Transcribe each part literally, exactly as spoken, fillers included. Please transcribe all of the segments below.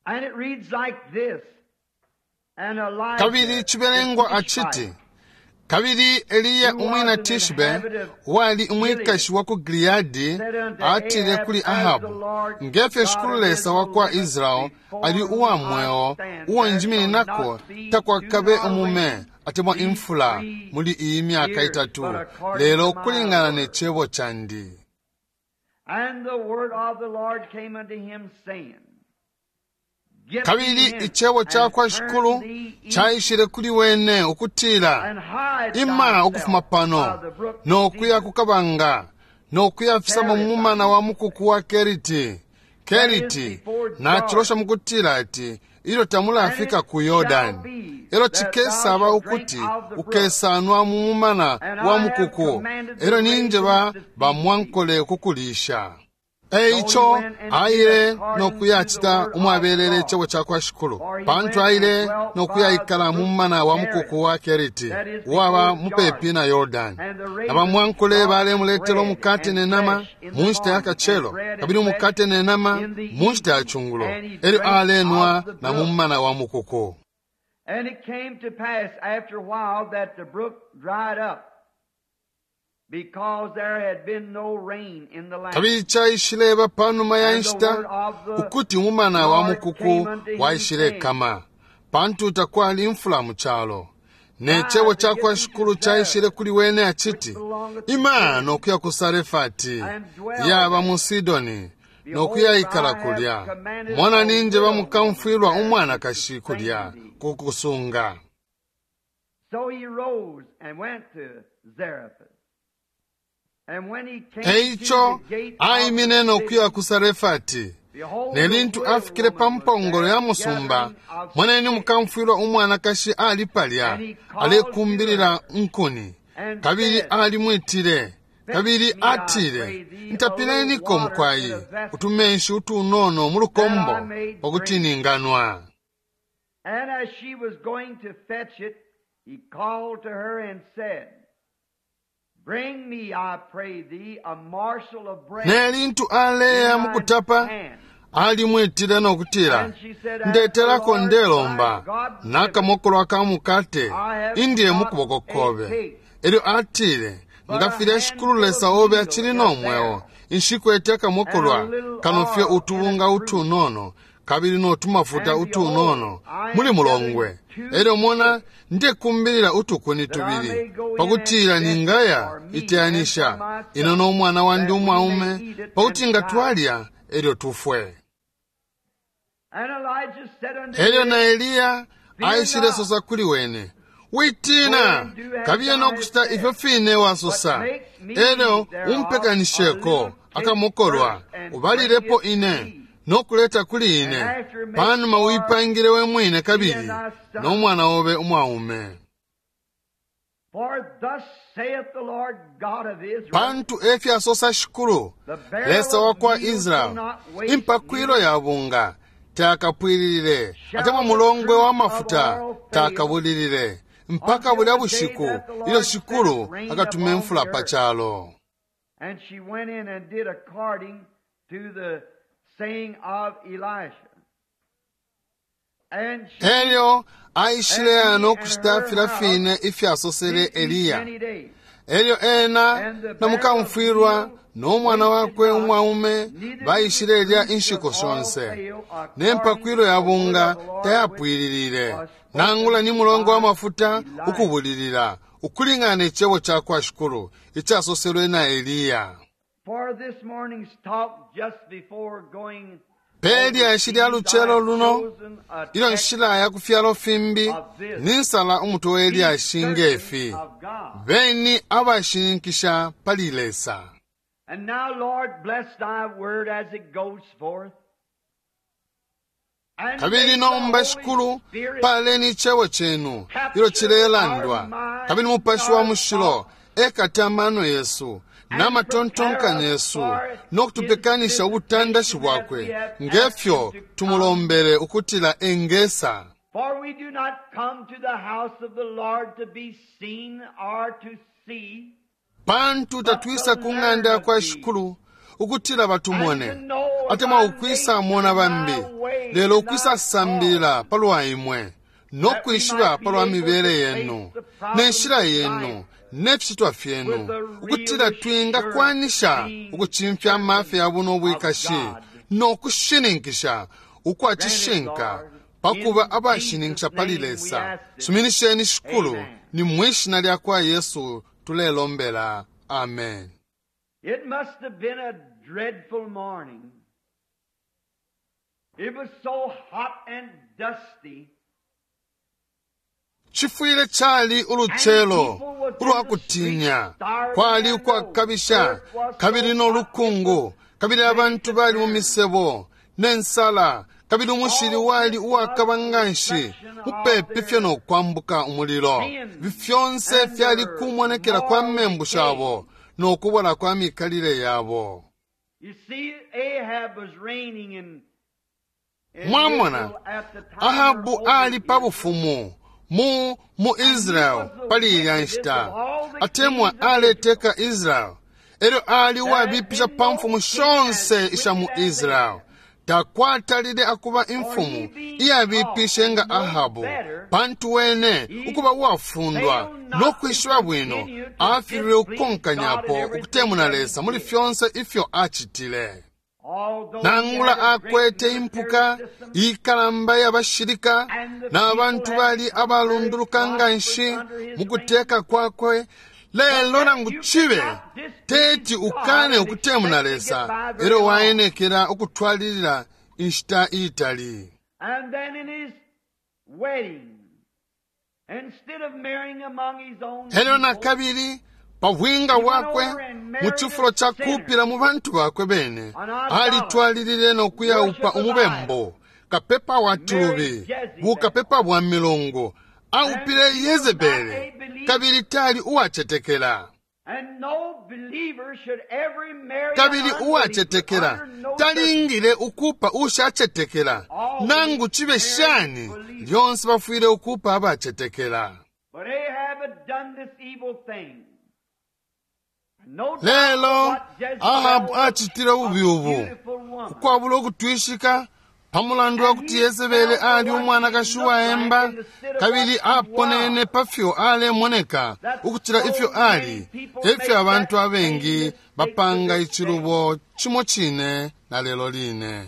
And it reads like this. And Elijah, Kabili cibelengwa the aciti, Tishbite, kabili Eliya umwina Tishbe, uwali umwikashi wa ku Gileadi, atile kuli Ahabu, ngefyo Shikulu Lesa wa kwa Israeli ali uwa mweo, uo njimininako, takwakabe umume atemwa imfula muli iyi myaka itatu, lelo kulingana ne cebo candi. And the word of the Lord came unto him, saying, Get thee Kabili hence, icebo ca and kwa turn Shikulu thee east, caishile kuli wene ukutila, and hide ima thyself ukufuma pano by the brook nokuya Zereth, ku kabanga nokuya fisama mu mumana wa mukuku wa Keriti. Keriti nacilosha mukutila ati ilyo tamulafika ku Yordani, elo cikesaba ukuti ukesanwa mu mumana wa mukuku, elo ninjeba bamwankole kukulisha. Eico aile nokuyacita umwabelele icebo ca kwa Shikulu, pantu aile nokuyaikala mu mumana wa mukuku wa Keriti, uwaba mupepi na Yordani. Na bamwankole balemuletela umukate ne nama mu nshita ya kacelo, kabili umukate ne nama mu nshita ya cungulo, elyo alenwa na mu mumana wa mukuku. And it came to pass after a while that the brook dried up, because there had been no rain in the land. Kabili caishileba panuma ya And the nshita word of the ukuti umumana wa Lord mukuku came unto him, waishilekama, pantu takwali imfula mu calo. Ne cebo Rise ca and kwa get thee to Shikulu caishile Zarephath, kuli wene which aciti, belongeth to ima Sidon, nokuya ku Sarefati, and dwell yaba there. mu Sidoni, Behold, nokuyaikala I have kulya. commanded Mona a ninje widow woman bamukamfwilwa there to umwanakashi sustain kulya thee. ku kusunga. So he rose and went to Zarephath. And when he came to Eico the gate of the aimine nokuya city, ku Sarefati. behold, Ne the lintu widow afikile pa woman was mpongolo there ya musumba, gathering of moneni sticks. mukamfwilwa umwanakashi ali palya, And he called to alekumbilila her nkuni. and Kabili said, alimwitile, Fetch kabili me, I atile, pray thee, a little ntapileniko water in mukwayi, a vessel, utumenshi utunono mu that I lukombo, may pakuti drink. ninganwa. And as she was going to fetch it, he called to her and said, Bring me, I pray thee, a morsel of bread Ne lintu aleya in mu thine kutapa, hand. alimwitile nokutila, And she said, As the ndetelako Lord thy ndelomba, God liveth, nakamokolo aka mukate, I have indiye mu not kuboko a kobe. cake, Elyo atile, but nga a filya Shikulu handful Lesa of obe meal acili is no mweo, there, nshikwete and a akamokolwa, little kano fye oil in a utubunga cruse. utunono, kabili notumafuta And behold, utunono, I muli am gathering mulongwe. two Elyo mona, sticks, ndekumbilila utukuni that I tubili, may go in and pakutila fetch ningaya for me and for iteyanisha, my ino son, n'omwana wandi that we may umwaume, eat it pakuti and nga die. twalya, elyo tufwe. And Elijah said unto Elyo na him, Eliya Fear aishile not, sosa kuli wene, go witina and do as kabiye thou hast nokucita said, ifyo fine but wasosa, make me elyo thereof a umpekanisheko little cake akamokolwa, first, and bring ubalilepo it to ine me, nokuleta kuli and ine, after make panuma for uipangile we mwine thee and kabili thy son. n'omwana obe umwaume. For thus saith the Lord God of Israel, Pantu efyasosa Shikulu the barrel Lesa wa of kwa meal shall Israeli, not waste, impakwilo neither ya bunga takapwililile, atemwa shall the mulongwe wa cruse of mafuta oil fail, takabulilile, mpaka until bulya the day bushiku that the ilyo Lord Shikulu sendeth rain akatuma upon imfula the pa earth. calo. And she went in and did according to the saying of Elisha. And she Elyo aishile and he and nokucita her filya house fine ifyasosele did eat Eliya. many days. Elyo ena And the na barrel of mukamfwilwa meal n'omwana wasted wakwe not, umwaume neither did the baishile lya cruse of inshiku oil shonse. fail, Ne according mpakwilo to ya the word bunga of the Lord which tayapwililile, was nangula spoken ni mulongo wa by mafuta Elisha. ukubulilila, ukulingana ne cebo ca kwa Shikulu icasoselwe na Eliya. For this morning's talk, just before going Pe lyashi lya overseas, I lucelo have luno, chosen a ilyo text nshila ya ku fyalo fimbi, of this. ninsala umutwe we Be lyashi certain ngefi, of God. beni abashininkisha pali Lesa. And now, Lord, bless thy word as it goes forth. And Kabili may the nomba Holy Shikulu, Spirit paleni icebo cenu ilyo capture our cilelandwa, kabili minds, Mupashi wa our Mushilo thoughts, ekata amano yesu and n'amatontonkanyo prepare us yesu for his n'okutupekanisha ubutandashi visitation as we bwakwe have asked him ngefyo to come. tumulombele ukutila engesa. For we do not come to the house of the Lord to be seen or to see, Pantu but to tatwisa ku learn ng'anda ya of kwa thee Shikulu ukutila batumone atemwa ukwisa mona bambi, lelo ukwisa sambilila palwa imwe no kwishiba palwa mibele yenu ne nshila yenu ne ficitwa fyenu, ukutila twingakwanisha ukucimfya amafya ya buno bwikashi no kushininkisha ukwa cishinka pakuba abashininkisha pali Lesa. Suminisheni Shikulu, ni mwishina lya kwa Yesu tulelombela. Amen. It must have been a dreadful morning. It was so hot and dusty. Chifwile chali uluchelo ulwakutinya, kwali ukwakabisha kabili nolukungu, kabili abantu bali mu misebo nensala, kabili umushili wali uwakaba nganshi mupepi fye nokwambuka umulilo. Ifi fyonse fyali kumonekela kwa membu shabo nokubola kwa mikalile yabo. You see, Ahab was reigning in, in Mwamona, Israel at the time Ahabu of ali pa Obadiah. bufumu mu mu Israel pali ilya nshita, atemwa aleteka Israel. Elyo ali uwabipisha pa mfumu shonse isha mu Israel. Takwatalile akuba imfumu iyabipishe nga Ahabu, pantu wene ukuba uwafundwa no kwishiba bwino afililwe ukukonkanyapo ukutemuna Lesa muli fyonse ifyo acitile. Although Nangula he had a great akwete impuka military system, ikalamba y'abashilika n'abantu bali abalunduluka nganshi mu kuteka kwakwe, lelo nangu cibe teti ukane ukutemuna Lesa, elyo waenekela ukutwalilila inshita iitali. And then in his wedding, instead of marrying among his own Elyo na people, kabili pa bwinga bwakwe mu cifulo ca kuupila mu bantu bakwe bene, alitwalilile no kuyaupa umubembo kapepa wa tulubi, bukapepa bwa milungu, aupile Yezebele, kabili tali uwacetekela. and no believer should ever marry Kabili an unbeliever uwacetekela under no talingile ukupa ushacetekela, nangu cibe shani, lyonse bafwile ukupa abacetekela. But Ahab had done this evil thing. No doubt Lelo what Jezebel Ahabu was acitile ububi a ubu beautiful woman. ukwabula ukutwishika pamulandu wa kuti Yezebele ali umwanakashi uwaemba, kabili aponene pafyo alemoneka ukucila ifyo ali. Efyo abantu abengi bapanga icilubo cimo cine na lelo line.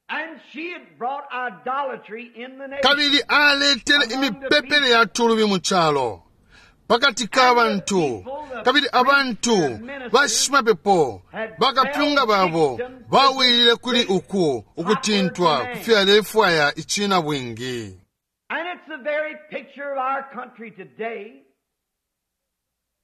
And she had brought idolatry in the nation. Kabili aletele imipepele ya tulubi mu calo pakati ka bantu, kabili abantu bashimapepo bakapyunga babo bawilile kuli uku ukutintwa kufyalefwaya icina bwingi. And it's the very picture of our country today.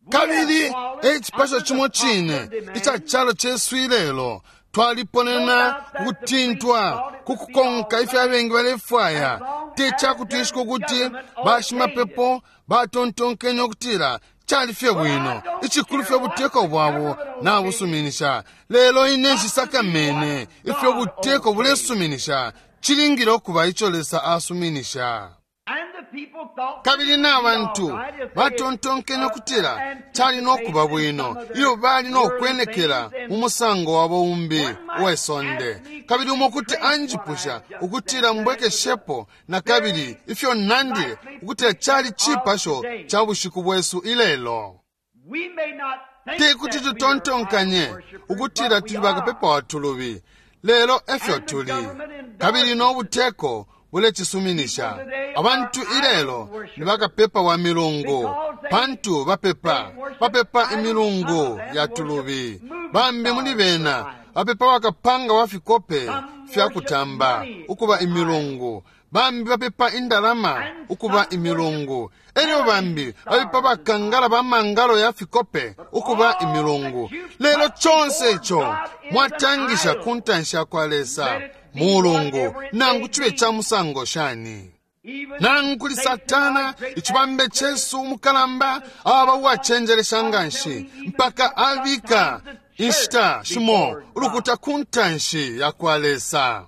We Kabili have fallen ecipasho under the cimo cine popular demand ica calo cesu ilelo, twaliponena ukutintwa kukukonka ifyo abengi balefwaya. Te cakutwishika ukuti bashimapepo batontonkenye ukutila cali fye bwino, icikulu fye buteko bwabo nabusuminisha. Lelo ine nshisakamene ifyo buteko bulesuminisha, cilingile ukuba ico Lesa asuminisha. And the people thought Kabili it would be n'abantu all right if they batontonkenye had, ukutila uh, cali nokuba bwino anticipated iyo bali some of their nokwenekela worldly things mu musango wabo umbi One might uwesonde. ask me Kabili umo kuti to trace anjipusha what I just ukutila said. mbwekeshepo na kabili ifyo nandile ukutila cali cipasho ca bushiku bwesu ilelo. We may not think Te kuti that we are tutontonkanye idol worshipers, ukutila but we tuli bakapepa are. wa tulubi, lelo efyo tuli. Kabili n'obuteko bulecisuminisha. Abantu ilelo ni bakapepa wa milungu, pantu bapepa bapepa imilungu ya tulubi. Bambi muli bena bapepa bakapanga wa fikope fya kutamba ukuba imilungu, bambi bapepa indalama ukuba imilungu, elyo bambi bapepa bakangala ba mangalo ya fikope ukuba imilungu. Lelo conse ico mwatangisha ku ntanshi ya kwa Lesa mulungu, nangu cibe ca musango shani. Even Nangu kuli Satan, Satana our great icibambe cesu umukalamba aba uwacenjelesha nganshi mpaka abika inshita shimo ulukuta ku ntanshi ya kwa Lesa.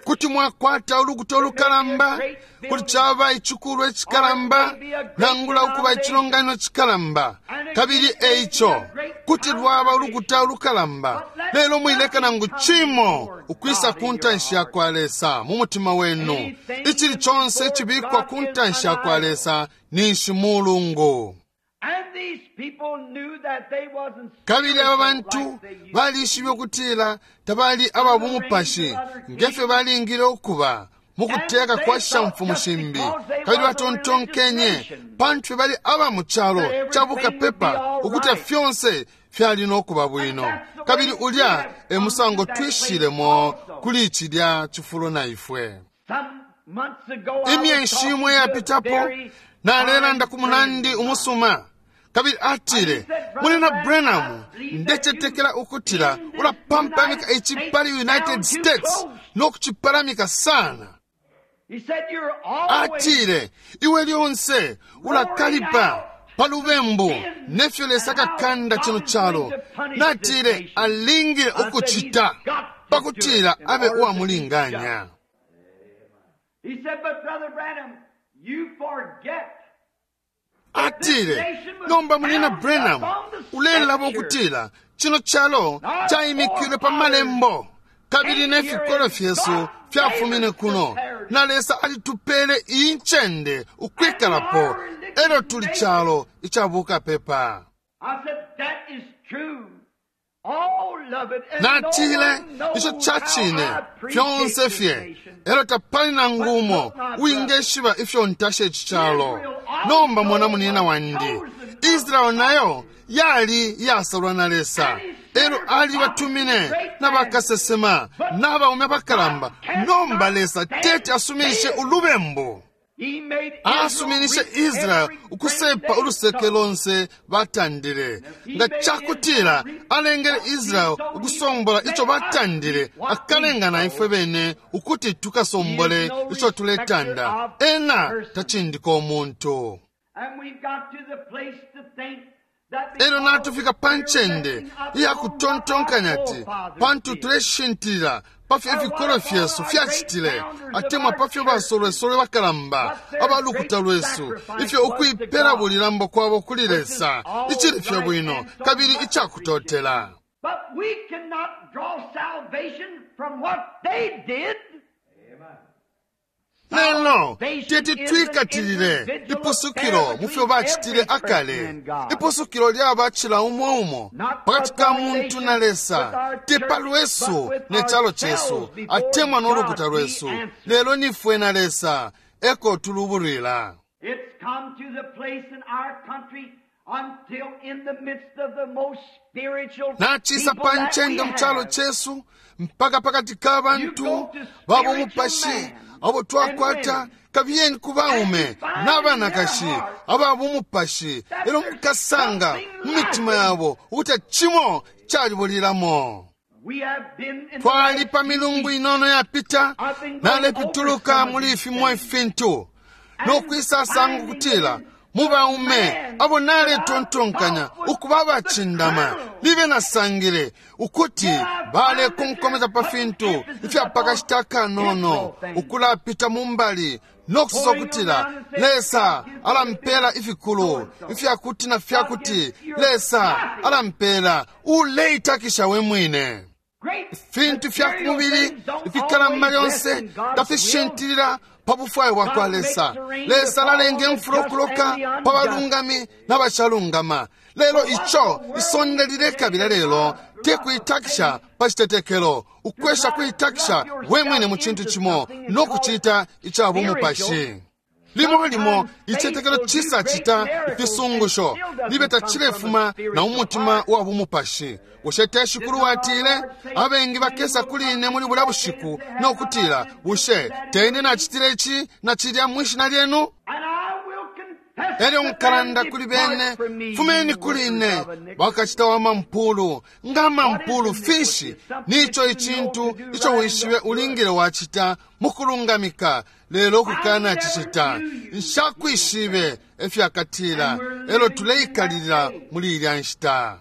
Kuti mwakwata ulukuta ulukalamba, kuti caba icikulwa icikalamba, nangula ukuba icilonganino icikalamba, kabili eico kuti lwaba ulukuta ulukalamba, lelo mwileka nangu cimo ukwisa ku ntanshi ya kwa Lesa mu mutima wenu. Icili conse icibikwa ku ntanshi ya kwa Lesa ninshi mulungu. Kabili aba bantu balishibe ukutila tabali aba bumupashi ngefyo balingile ukuba mukuteka kwa shamfumu shimbi, kabili batontonkenye pantu bali aba mu calo ca bukapepa ukuti fyonse fyali no kuba bwino. Kabili ulya e musango twishilemo kuli cilya cifulo na ifwe. Imyeshi imwe yapitapo nalelanda ku munandi umusuma, kabili atile, Mulina Branham, ndecetekela ukutila ulapampamika ici pali United States nokucipalamika sana. Atile, iwe lyonse ulakalipa pa lubembu nefyo Lesa akakanda cino calo. Natile, alingile ukucita pakutila abe uwamulinganya. Atile, nomba Mulina Branham, ulelaba ukutila cino calo caimikilwe pa malembo, kabili nefikolo fyesu fyafumine kuno, na Lesa alitupele iyi ncende ukwikalapo, elyo tuli calo icabukapepa. Natile, ico cacine fyonse fye, elyo tapali nangu umo uwingeshiba ifyo ntasha ici calo. Nomba mwana munina wandi, Israeli nayo yali iyasalwa na Lesa, elyo alibatumine na bakasesema n'abaume abakalamba. Nomba Lesa teti asuminishe ulubembu. Asuminishe Israeli ukusepa uluseke lonse batandile. Nga cakutila alengele Israeli ukusombola ico batandile, akalenga na ifwe bene ukuti tukasombole ico tuletanda. Ena tacindika umuntu. Elyo natufika pa ncende iyakutontonkanya ati pantu tuleshintilila pafyo ifikolo fyesu fyacitile, atemwa pafyo basolwesolwe bakalamba abalukuta lwesu, ifyo ukuipela bulilambo kwabo kuli Lesa, icili fye bwino kabili icakutotela. Lelo teti twikatilile ipusukilo mufyo bacitile akale. Ipusukilo lyaba cila umo umo pakati ka muntu na Lesa, te pa lwesu ne calo cesu atemwa no lukuta lwesu, lelo nifwe na Lesa eko tulubulwila. Nacisa pa ncende mu calo cesu mpaka pakati ka bantu babo mupashi abo twakwata, kabiyeni ku baume n'abanakashi aba bumupashi, elyo mukasanga mu mitima yabo ukuti cimo calibulilamo. Twali pa milungu inono yapita, nalepituluka muli fimo ifintu nokwisasanga ukutila mu baume abo naletontonkanya ukuba abacindama, libe nasangile ukuti balekonkomeza pa fintu ifyapakashita kanono, ukulapita mu mbali nokusosa ukutila Lesa alampela ifikulu ifyakuti na fyakuti, Lesa alampela. Uleitakisha we mwine. Ifintu fya kumubili ifikalamba lyonse tafishintilila pa bufwayo bwa kwa Lesa. Lesa alalenga imfula ukuloka pa balungami n'abashalungama. Lelo ico isonde lilekabila lelo te kuitakisha pa citetekelo, ukwesha kuitakisha we mwine mu cintu cimo nokucita ica bumupashi. Limo limo icitetekelo cisa cita ifisungusho libe tacilefuma na umutima wa bumupashi. Bushe te Shikulu watile, abengi bakesa kuli ine muli bulya bushiku nokutila, bushe te ine nacitile ici na cilya mwishina lyenu? Elyo nkalanda kuli bene, fumeni kuli ine, bakacita wa mampulu. Nga mampulu finshi? Nico icintu ico wishibe ulingile wacita mukulungamika, lelo kukana cicita. Nshakwishibe efyakatila, elyo tuleikalilila muli ilya nshita.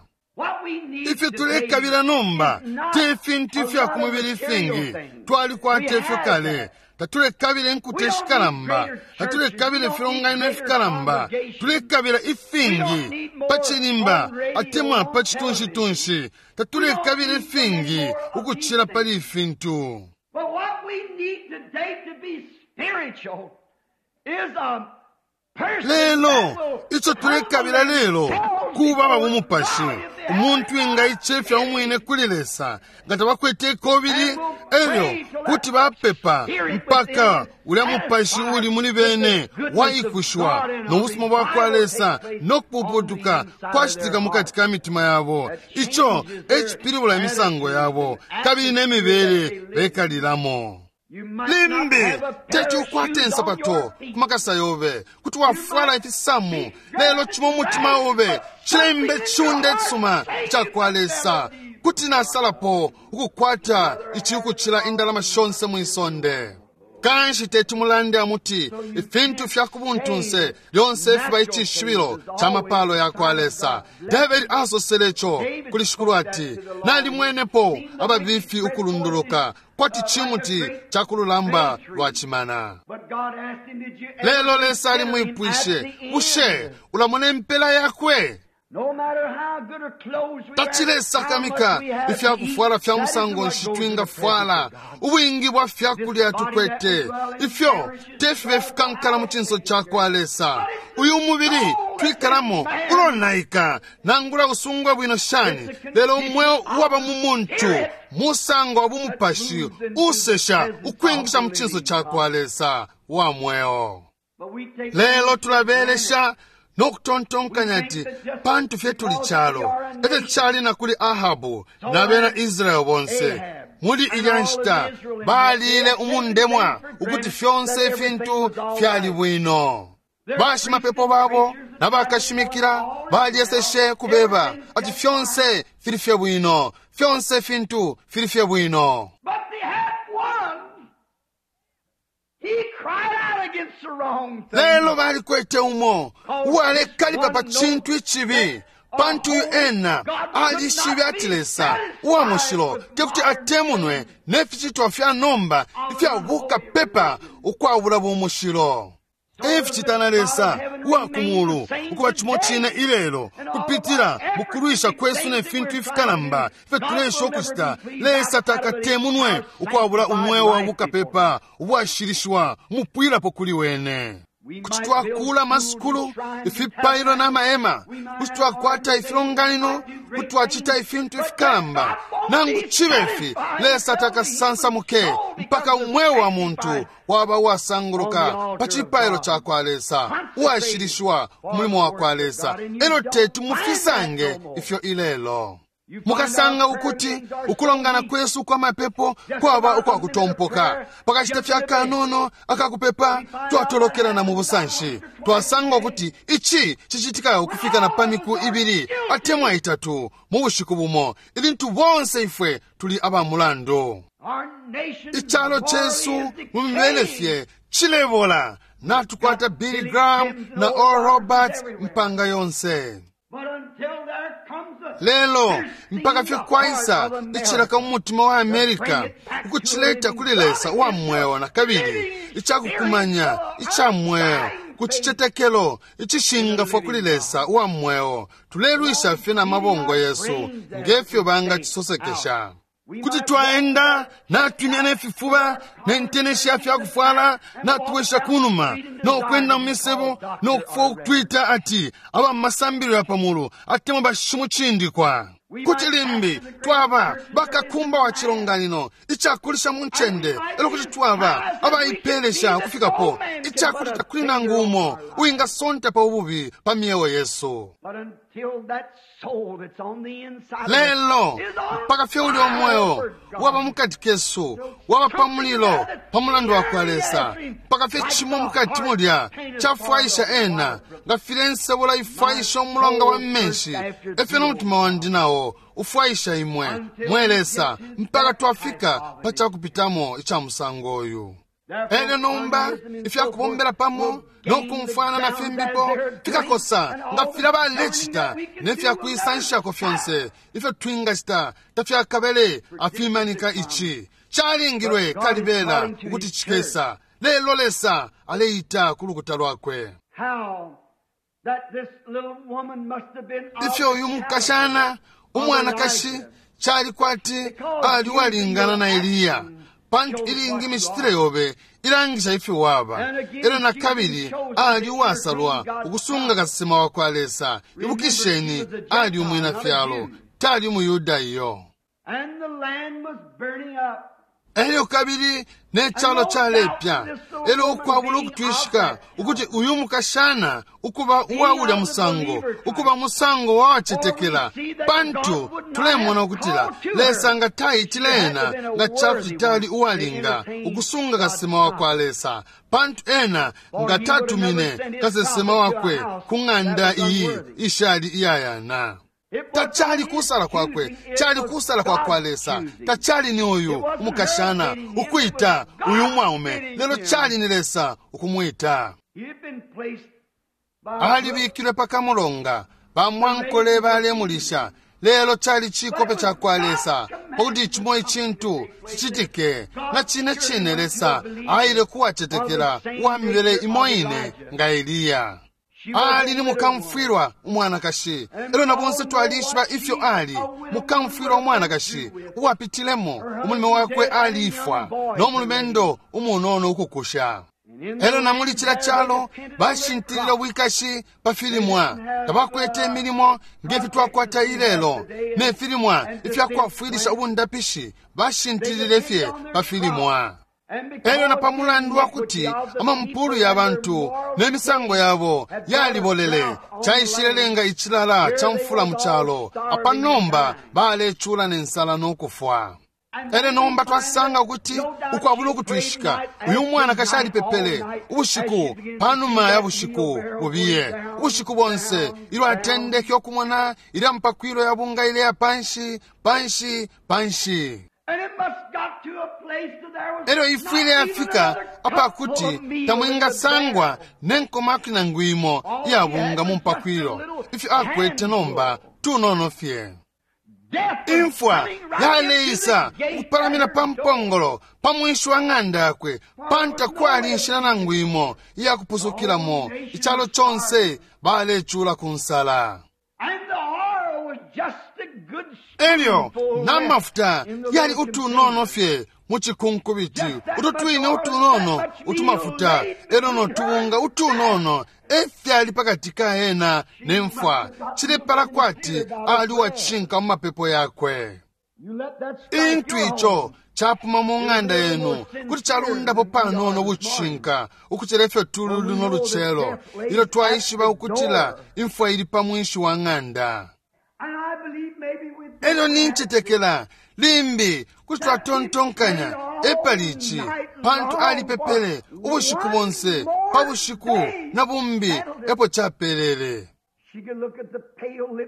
Ifyo tulekabila nomba te fintu ifya ku mubili ifingi, twalikwata ifyo kale. Tatulekabila inkuta ishikalamba, tatulekabila ifilonganino ifikalamba, tulekabila ifingi pa cilimba atemwa pa citunshitunshi. Tatulekabila ifingi ukucila pali ifintu. But what we need today to be spiritual is a person Lelo that will ico tulekabila lelo kuba aba bumupashi, umuntu wingaicefya umwine kuli Lesa nga tabakwete ikobili, elyo kuti bapepa mpaka ulya mupashi uli muli bene waikushiwa no busuma bwa kwa Lesa no kupuputuka kwacitika mukati ka mitima yabo. Ico ecipilibula imisango yabo kabili ne mibele bekalilamo. You might not Limbi have a pair teti of ukwate shoes on insapato your feet. ku makasa yobe, kuti wafwala ifisamu, lelo cimo umutima obe cilembe ciunda icisuma icakwa Lesa. Kuti nasalapo ukukwata ici ukucila indalama shonse mwisonde. Kanshi teti mulande amuti ifintu fya kubuntunse lyonse fiba icishibilo ca mapalo ya kwa Lesa. David asosele ico kuli Shikulu ati, nalimwenepo ababifi ukulunduluka kwati cimuti ca kululamba lwa cimana. But God asked him, did you ever Lelo Lesa consider him at alimwipwishe, the bushe end? ulamona impela yakwe? No matter how good a clothes we have, Tacilesakamika how much we have ifya to eat, kufwala fya that musango isn't what nshi goes in the twingafwala, presence of God. ubwingi bwa fyakulya tukwete, ifyo tefibe fikankala mu cinso ca kwa Lesa. Uyu mubili twikalamo ulonaika, nangula usungwa bwino shani, lelo umweo uwaba mu muntu musango wa bumupashi usesha ukwingisha mu cinso ca kwa Lesa wa mweo. But we take Lelo tulabelesha no kutontonkanya ati pantu fye tuli calo. Efyo cali na kuli Ahabu na bena Israeli bonse muli ilya nshita balile umundemwa ukuti fyonse ifintu fyali bwino. Bashimapepo babo na bakashimikila balyeseshe kubeba ati fyonse fili fye bwino, fyonse ifintu fili fye bwino. But they had one. He cried out against the wrong thing. Lelo balikwete umo uwalekalipa pa cintu icibi, pantu uyu ena alishibe ati Lesa uwa mushilo tekuti atemunwe ne ficitwa fya nomba ifya bukapepa ukwabula bumushilo. Eficita na Lesa uwa ku mulu ukuba cimo cine ilelo kupitila mu kulwisha kwesu ne fintu ifikalamba ifyo tulesha ukucita. Lesa takatemunwe ukwabula umweo wa bukapepa ubwashilishiwa umupwilapo kuli wene. Kuti twakula amasukulu, ifipailo na mahema, kuti twakwata ifilonganino, kuti twacita ifintu ifikalamba. Nangu cibe ifi, Lesa takasansamuke mpaka umweo wa muntu waba uwasanguluka pa cipailo ca kwa Lesa, uwashilishiwa ku mulimo wa kwa Lesa. Elo teti mufisange ifyo ilelo. Mukasanga ukuti ukulongana kwesu kwa mapepo kwaba ukwa kutompoka. Pakashita fya kanono akakupepa twatolokelana mu busanshi. Twasanga ukuti ici cicitika ukufika na pa miku ibili atemwa itatu mu bushiku bumo, ilintu bonse ifwe tuli aba mulandu. Our nation Icalo cesu mu mibele fye cilebola. Natukwata Billy Graham na Oral Roberts mpanga yonse. But until there comes a Lelo mpaka fye kwaisa icilaka mu mutima wa Amerika ukucileta kuli Lesa uwa mweo na kabili icakukumanya ica mweo ku cicetekelo icishingafwa kuli Lesa uwa mweo. Tulelwisha fye na mabongo yesu ngefyo bangacisosekesha. Kuti twaenda natwimya ne fifuba ne nteneshi ya fyakufwala natuwesha kunuma nokwenda mu misebo nokufwa ukutwita ati aba mu masambilo ya pamulu atemwa bashimucindikwa. Kuti limbi twaba bakakumba wa cilonganino icakulisha mu ncende, elo kuti twaba abaipelesha ukufikapo icakuti takuli nangu umo uwingasonta pa ububi pa myeo yesu. But until that soul that's on the inside of us Lelo is on mpaka fye uli omweo fire for God. waba mukati kesu waba pa mulilo pa mulandu wa kwa Lesa, mpaka fye cimo mukati mulya cafwaisha ena nga filya ensebola ifwaisha umulonga wa menshi, efyo nomutima wandi nawo ufwaisha imwe mwe Lesa, mpaka twafika pa cakupitamo ica musango uyu. Elyo nomba ifyakubombela pamo nokumfwana na fimbipo fikakosa nga filya balecita ne fyakwisanshako fyonse ifyo twingacita tafyakabele afimanika ici calingilwe kalibela ukuti cikesa. Lelo Lesa aleita ku lukuta lwakwe. Ifyo uyu mukashana umwanakashi cali kwati ali uwalingana na Eliya, pantu ilingi imicitile yobe ilangisha ifyo waba. Elyo na kabili ali uwasalwa ukusunga kasesema wa kwa Lesa. Ibukisheni, ali umwina fyalo, tali umuyuda iyo. Elyo kabili ne calo calepya. Elyo ukwabula ukutwishika ukuti uyu mukashana ukuba uwa ulya musango, ukuba musango wawacetekela, pantu tulemona ukutila Lesa nga taitile ena nga cakuti tali uwalinga ukusunga kasesema wa kwa Lesa, pantu ena nga tatumine kasesema wakwe ku ng'anda iyi ishali iyayana. Tacali kusala kwakwe, cali kusala kwa kwa Lesa. Tacali ni uyu umukashana ukwita uyu mwaume, lelo cali ni Lesa ukumwita. Alibikilwe pakamulonga, bamwankole balemulisha, lelo cali cikope ca kwa Lesa pakuti cimo icintu cicitike. Na cine cine Lesa aile kuwacetekela uwa mibele imo ine nga Eliya. Ali ni mukamfwilwa umwanakashi. Elyo na bonse twalishiba ifyo ali mukamfwilwa umwanakashi uwapitilemo umulume wakwe alifwa no mulumendo umunono ukukusha. Elyo na muli cila calo bashintilile ubwikashi pa filimwa, tabakwete imilimo ngefyo twakwata ilelo, ne filimwa ifyakwafwilisha ubundapishi bashintilile fye pa filimwa. Elyo na pamulandu wakuti amampulu ya bantu ne misango yabo yalibolele, caishilelenga icilala ca mfula mu calo. Apa nomba balecula ne nsala nokufwa. Elyo nomba twasanga ukuti ukwabula ukutwishika uyu mwanakashi alipepele ubushiku panuma ya bushiku bubiye, ubushiku bonse ilyo atendeke ukumona ilya mpakwilo ya bunga ileya panshi panshi panshi. Elyo ifwile yafika apakuti tamwingasangwa nenkomaki nangu imo iyabunga mu mpakwilo. Ifyo akwete nomba tunono fye. Imfwa yaleisa ukupalamina pa mpongolo pa mwinshi wa ng'anda yakwe, pantu takwali inshila nangu imo iyakupusukilamo. Icalo conse balecula ku nsala. Elyo n'amafuta yali utunono fye mu cikunkubiti, utu twine utunono utumafuta elyo notubunga utunono efyali pakati ka ena ne mfwa. Cilepala kwati ali uwacishinka mu mapepo yakwe. Intu ico capuma mu ng'anda yenu kuti calundapo panono bucishinka ukucila ifyo tuli luno lucelo, ilyo twaishiba ukutila imfwa ili pa mwinshi wa ng'anda. Elyo nincetekela limbi kuti twatontonkanya epali ici, pantu alipepele ubushiku bonse pa bushiku na bumbi epo capelele.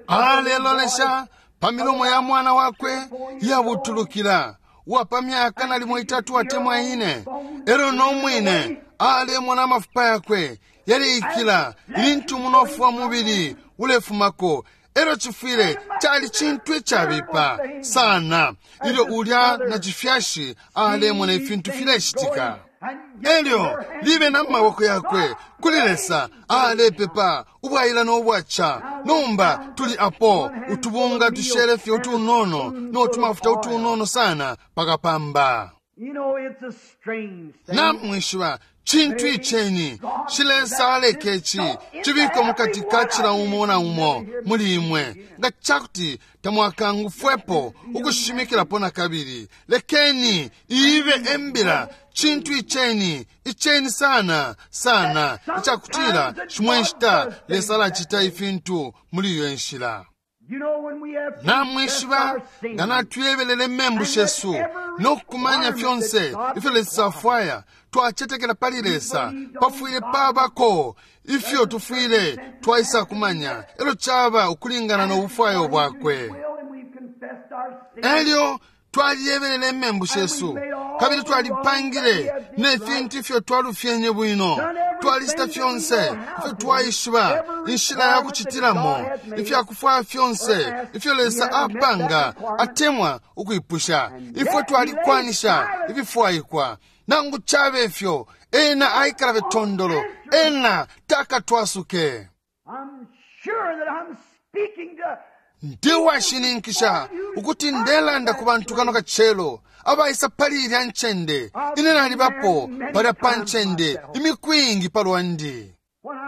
Alelolesha pa milomo ya mwana wakwe iyabutulukila uwa pa myaka nalimo itatu atemwa ine. Elyo nomwine alemona amafupa yakwe yaleikila ilintu umunofu wa mubili ulefumako. Elyo cifwile cali cintu icabipa sana ilyo ulya na cifyashi alemona ifintu filecitika. Elyo libe na maboko yakwe kuli Lesa alepepa ubwaila nobwaca. Nomba tuli apo utubunga tushele fye utunono notumafuta utunono sana pakapamba. Namwishiba cintu iceni Shilesa aleke ici cibikwe mukati ka cila umo na umo muli imwe, nga cakuti tamwakangufwepo ukushimikilapo na kabili. Lekeni ibe embila cintu iceni iceni sana sana icakutila shimwe nshita Lesa alacita ifintu muli iyo nshila. Namwishiba nga natuyebelele membu shesu nokukumanya fyonse ifyo Lesa afwaya, twacetekela pali Lesa pafwile pabako ifyo tufwile twaisa kumanya, elyo caba ukulingana nobufwayo bwakwe. Elyo twaliyebelele membu shesu Kabili twalipangile ne fintu ifyo twalufyenye bwino. Twalicita fyonse ifyo twaishiba inshila ya kucitilamo, ifyakufwaya fyonse ifyo Lesa apanga atemwa ukwipusha. Ifwe twalikwanisha ififwaikwa. Nangu cabe ifyo, ena aikala fye tondolo, ena takatwasuke. I'm sure that I'm speaking to Ndi washininkisha ukuti ndelanda ku bantu kano kacelo abaisa pali ilya ncende. Ine nalibapo palya pa ncende imiku iingi pa lwandi.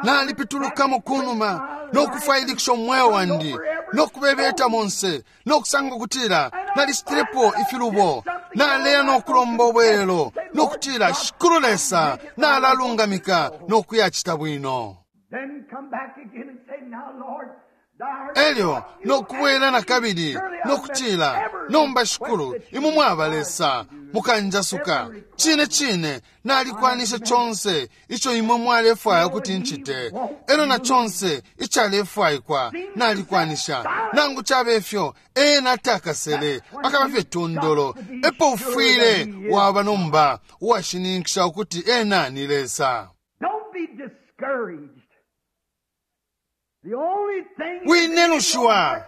Nalipitulukamo kunuma nokufwailikisha umweo wandi nokubebeta monse nokusanga ukutila nalicitilepo ifilubo. Naleya nokulomba ubwelelo nokutila Shikulu Lesa nalalungamika nokuyacita bwino. Then come back again and say, now Lord, Elyo nokubwela na kabili nokutila nomba Shikulu imwe mwaba Lesa mukanjasuka. Cine cine nalikwanisha conse ico imwe mwalefwaya ukuti ncite, elyo na conse icalefwaikwa nalikwanisha. Nangu cabe ifyo, ena takasele akaba fye tondolo. Epo ufwile waba nomba uwashininkisha ukuti ena ni Lesa. Don't be discouraged. The only thing Winenushiwa.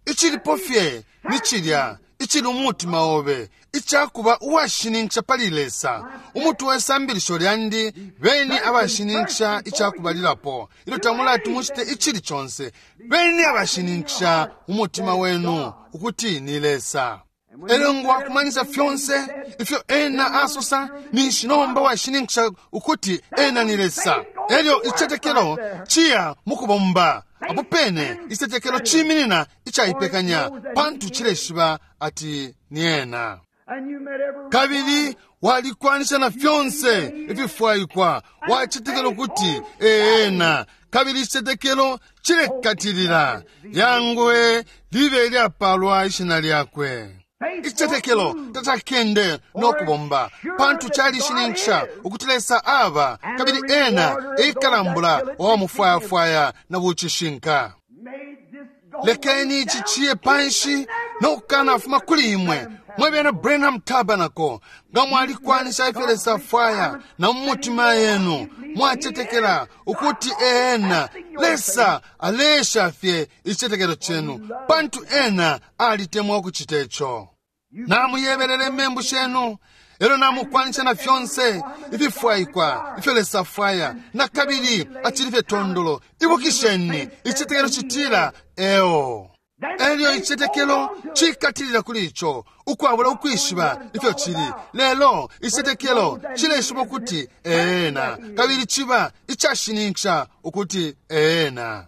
Icilipo fye ni cilya icili umutima obe icakuba uwashininkisha pali Lesa. Umutwe we sambilisho lyandi, beni abashininkisha icakubalilapo. Ilyo tamulati mucite icili conse, beni abashininkisha umutima wenu ukuti ni Lesa. Elyo nga wakumanisa fyonse ifyo ena asosa, ninshi nomba washininkisha ukuti ena ni Lesa. Elyo icetekelo ciya mukubomba. Apo pene icetekelo ciminina icaipekanya, pantu cileshiba ati ni ena. And you met every Kabili walikwanisha na fyonse ififwaikwa, wacetekela ukuti ena. Kabili icetekelo cilekatilila. Yangwe libe ilyapalwa ishina lyakwe. Icetekelo tatakende nokubomba, pantu calishininkisha ukuti Lesa aba, kabili ena eikalambula owamufwayafwaya na bucishinka. made this go Lekeni ici ciye panshi nokukanafuma kuli imwe mwe bena Branham Tabernacle. Nga mwalikwanisha ifyo Lesa afwaya na mu mutima yenu mwacetekela ukuti ena Lesa alesha fye icetekelo cenu, pantu ena alitemwa ukucita ico. Namuyebelele imembu shenu, elyo namukwanisha na fyonse ififwaikwa ifyo Lesa afwaya, na kabili acili fye tondolo. Ibukisheni, icetekelo citila eo. Elyo icetekelo cikatilila kuli ico ukwabula ukwishiba ifyo cili, lelo icetekelo cileshiba ukuti ena, kabili ciba icashininkisha ukuti ena.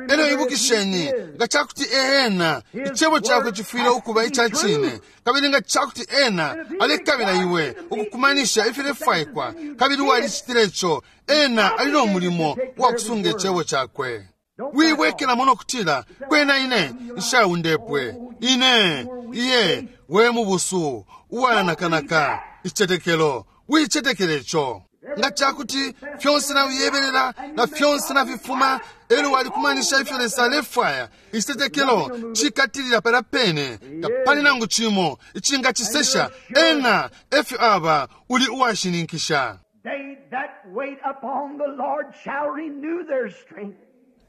Elyo ibukisheni, nga cakuti ena icebo cakwe cifwile ukuba ica cine, kabili nga cakuti ena alekabila iwe ukukumanisha ifilefwaikwa, kabili walicitile ico, ena ali no mulimo wa kusunga icebo cakwe. Wibwekelamo nokutila kwena ine nshaundepwe, ine iye we mubusu uwanakanaka icetekelo. Wicetekele ico. Nga cakuti fyonse nawiyebelela na fyonse nafifuma, elyo walikumanisha ifyo Lesa alefwaya, icetekelo cikatilila palya pene. Tapali nangu cimo icingacisesha. Ena efyo aba, uli uwashininkisha. They that wait upon the Lord shall renew their strength.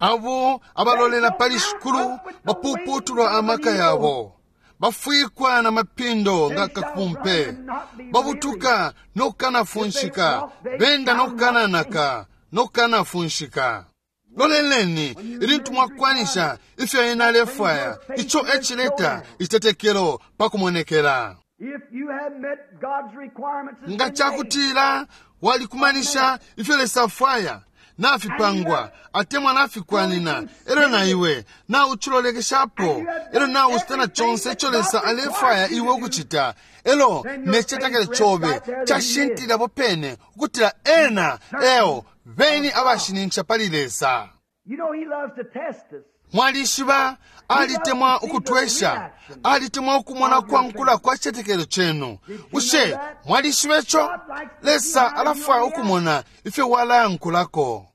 Abo abalolela pali Shikulu bapuputulwa amaka yabo, bafwikwa na mapindo nga kapumpe, babutuka nokukanafunshika, benda nokukananaka nokukanafunshika. Loleleni ilintu mwakwanisha ifyo ena alefwaya, ico ecileta icitetekelo pakumonekela. If you have met God's requirements as Nga been made, cakutila walikumanisha ifyo Lesa afwaya nafipangwa atemwa nafikwanina, elyo na iwe naucilolekeshapo, elyo naucita na conse ico Lesa alefwaya iwe ukucita, elo ne citetekelo cobe cashintilila pene ukutila ena eo beni abashininkisha pali Lesa. you know He loves to test us. Mwalishiba alitemwa ukutwesha, alitemwa ukumona kwankula kwa citetekelo cenu. Bushe mwalishiba ico? Lesa alafwaya ukumona ifyo walayankulako.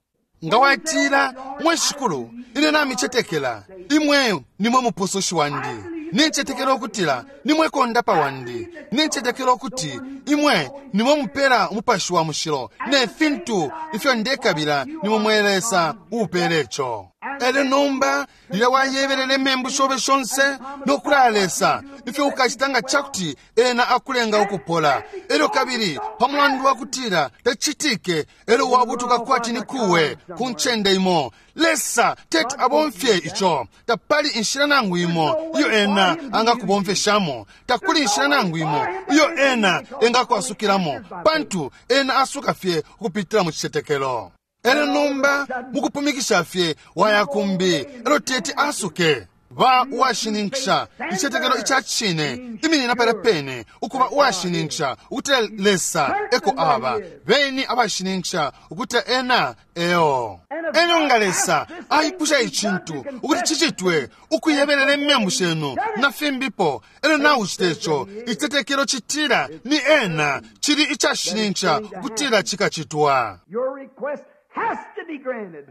Nga watila, mwe Shikulu, ine namicetekela, imwe nimwe mupusushi wandi. Nincetekela ukutila nimwe kondapa wandi. Nincetekela ukuti imwe nimwe mupela umupashi wa mushilo ne fintu ifyo ndekabila nimwe mwe Lesa uupela ico. Elyo nomba lilya wayebelele membu shobe shonse nokulaya Lesa ifyo ukacita nga cakuti ena akulenga ukupola. Elyo kabili pamulandu wakutila tacitike, elyo wabutuka kwati ni kuwe ku ncende imo. Lesa teti abomfye ico. Tapali inshila nangu imo iyo ena angakubomfeshamo. Takuli inshila nangu imo iyo ena engakwasukilamo, pantu ena asuka fye ukupitila mu cicetekelo. Elyo nomba mukupumikisha fye waya kumbi, elyo teti asuke. Ba uwashininkisha icicetekelo ica cine, iminina pala pene ukuba uwashininkisha ukuti Lesa eko aba. Beni abashininkisha ukuti ena eo. Elyo nga Lesa aipusha icintu ukuti cicitwe ukuyebelela imembu shenu na fimbipo, elyo naucite ico, icitetekelo citila ni ena, cili icashininkisha ukutila cikacitwa. Your request has to be granted.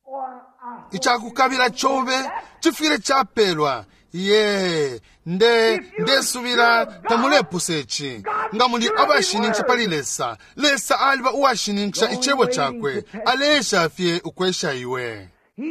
Oh, I, I Icakukabila cobe cifwile capelwa. Ye nde ndesubila tamulepusa ici. Nga muli abashininkisha pali Lesa, Lesa aliba uwashininkisha icebo cakwe, aleesha fye ukwesha iwe.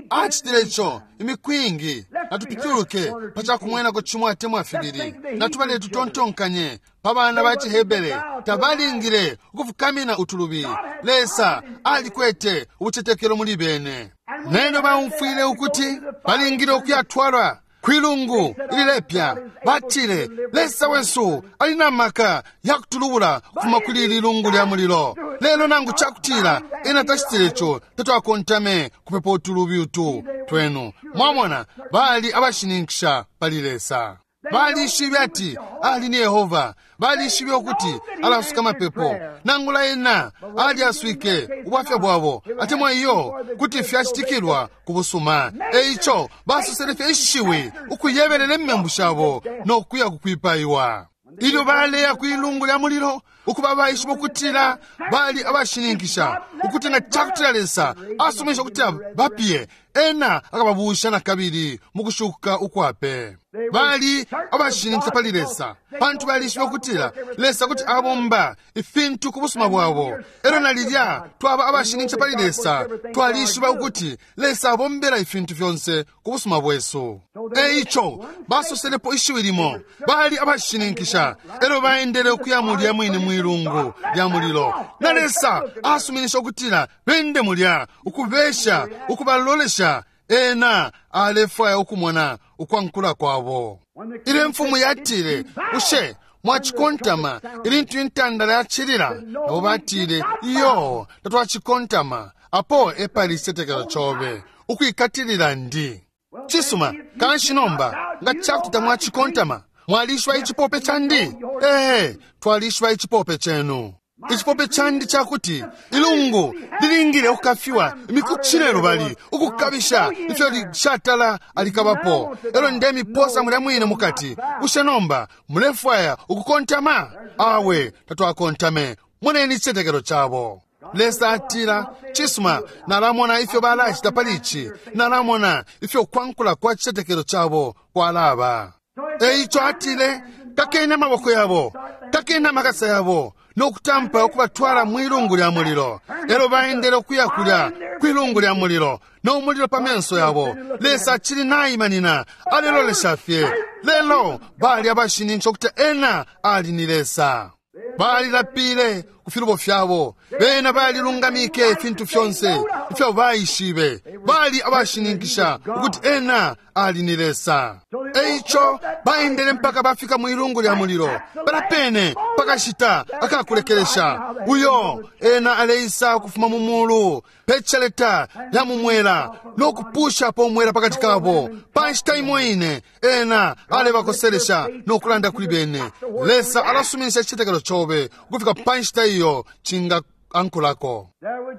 Acitile ico imiku ingi. Natupituluke pa cakumwenako cimo atemwa fibili. Natubale tutontonkanye pa bana ba ciHebere, tabalingile ukufukamina utulubi. Lesa alikwete ubucetekelo muli bene. Neno baumfwile ukuti balingile ukuyatwalwa kwilungu ililepya. Batile, Lesa wesu ali na maka yakutulubula kufuma kuli ili lungu lya mulilo. Lelo nangu cakutila ena tacitile ico, tatwakontame kupepa utulubi utu twenu. Mwamona, bali abashininkisha pali Lesa. Balishibe ati ali ni Yehova. Balishibe ukuti alasuka mapepo. Nangula ena alyaswike ubwafya bwabo, atemwa iyo kuti fyacitikilwa ku busuma. Eico basosele fye ishiwi ukuyebelela imembu shabo nokuya kukwipaiwa. Ilyo baleya kwilungu lya mulilo, ukuba baishiba ukutila bali abashininkisha ukuti nga cakutila Lesa asuminisha ukutila bapiye, ena akababusha na kabili mu kushuka ukwape. Bali abashininkisha pali Lesa, pantu balishiba ukutila Lesa kuti abomba ifintu ku busuma bwabo. Elyo na lilya twaba abashininkisha pali Lesa, twalishiba ukuti Lesa abombela ifintu fyonse ku busuma bwesu. Eico basoselepo ishiwi limo, bali abashininkisha. Elyo baendele ukuya mulya mwine mwilungu lya mulilo, na Lesa asuminisha ukutila bende mulya, ukubesha, ukubalolesha. Ena alefwaya ukumona ukwankula kwabo. Ilyo imfumu yatile, ushe mwacikontama ilintu intandala yacilila? Nabo batile, iyo, tatwacikontama. Apo epali icitetekelo cobe ukwikatilila ndi. Cisuma, kanshi nomba nga cakuti tamwacikontama, mwalishwa icipope candi? Ee, twalishwa icipope cenu. Icipope candi cakuti ilungu lilingile ukukafiwa imiku cine lubali, ukukabisha ifyo lishatala alikabapo. Elyo ndemiposa mulya mwine mukati. Ushe nomba mulefwaya ukukontama? Awe, tatwakontame. Moneni icitetekelo cabo. Lesa atila, cisuma, nalamona ifyo balacita pali ici. Nalamona ifyo kwankula kwa citetekelo cabo kwalaba. Eico atile, kakeni amaboko yabo, kakeni amakasa yabo, nokutampa ukubatwala mwilungu lya mulilo. Elyo baendele ukuya kulya kwilungu lya mulilo, no mulilo pa menso yabo. Lesa acili naimanina, alelolesha fye. Lelo bali abashininkisha ukuti ena ali ni Lesa. Balilapile ku filubo fyabo. Bena balilungamike ifintu fyonse ifyo baishibe. Bali abashininkisha ukuti ena ali ni Lesa. Eico baendele mpaka bafika mwilungu lya mulilo. Balapene pakashita akakulekelesha. Uyo ena aleisa ukufuma mu mulu peceleta lya mumwela nokupushapo umwela pakati kabo. Pa nshita imo ine ena alebakoselesha nokulanda kuli bene. Lesa alasuminisha icitetekelo cobe ukufika pa nshita iyo cinga ankulako.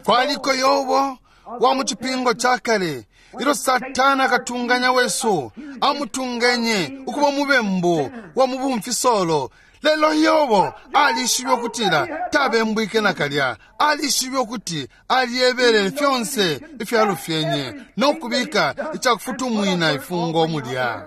Kwaliko Yobo wa mu cipingo ca kale, ilyo Satana akatunganya wesu amutungenye ukuba umubembu wa mu bumfisolo. Lelo Yobo alishibe ukutila tabembwike nakalya. Alishibe ukuti alyebele fyonse ifyalufyenye nokubika icakufutumwina ifungo mulya.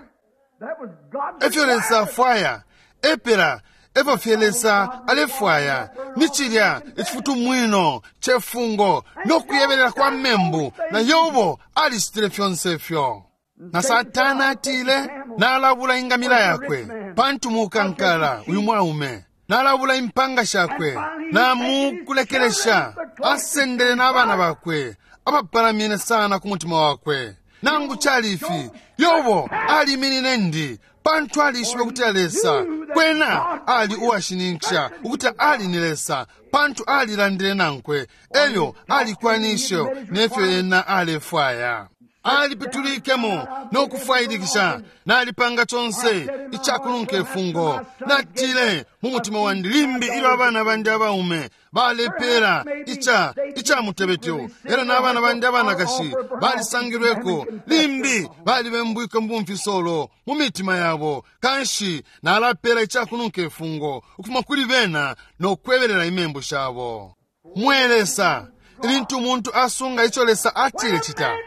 Efyo Lesa afwaya, epela efyo fye Lesa alefwaya ni cilya icifutumwino cefungo nokuyebelela kwa membu, na Yobo alicitile fyonse ifyo. Na Satana atile, nalabula ingamila yakwe pantu mukankala uyu mwaume, nalabula impanga shakwe, namukulekelesha asendele n'abana bakwe abapalamine sana ku mutima wakwe. Nangu cali ifi, Yobo aliminine ndi pantu alishibe ukuti Lesa kwena ali uwashininkisha ukuti ali ni Lesa, pantu alilandile nankwe, elyo alikwanishe nefyo ena alefwaya. Alipitulikemo nokufwailikisha, nalipanga conse icakulunka ifungo. Natile mu mutima wandi, limbi ilyo abana bandi abaume balepela ica ica mutebetyo, era n'abana bandi abanakashi balisangilweko, limbi balibembwike mu bumfisolo mu mitima yabo, kanshi nalapela icakununka ifungo ukufuma kuli bena nokwebelela imembu shabo. Mwe Lesa, ilintu umuntu asunga ico Lesa atile cita,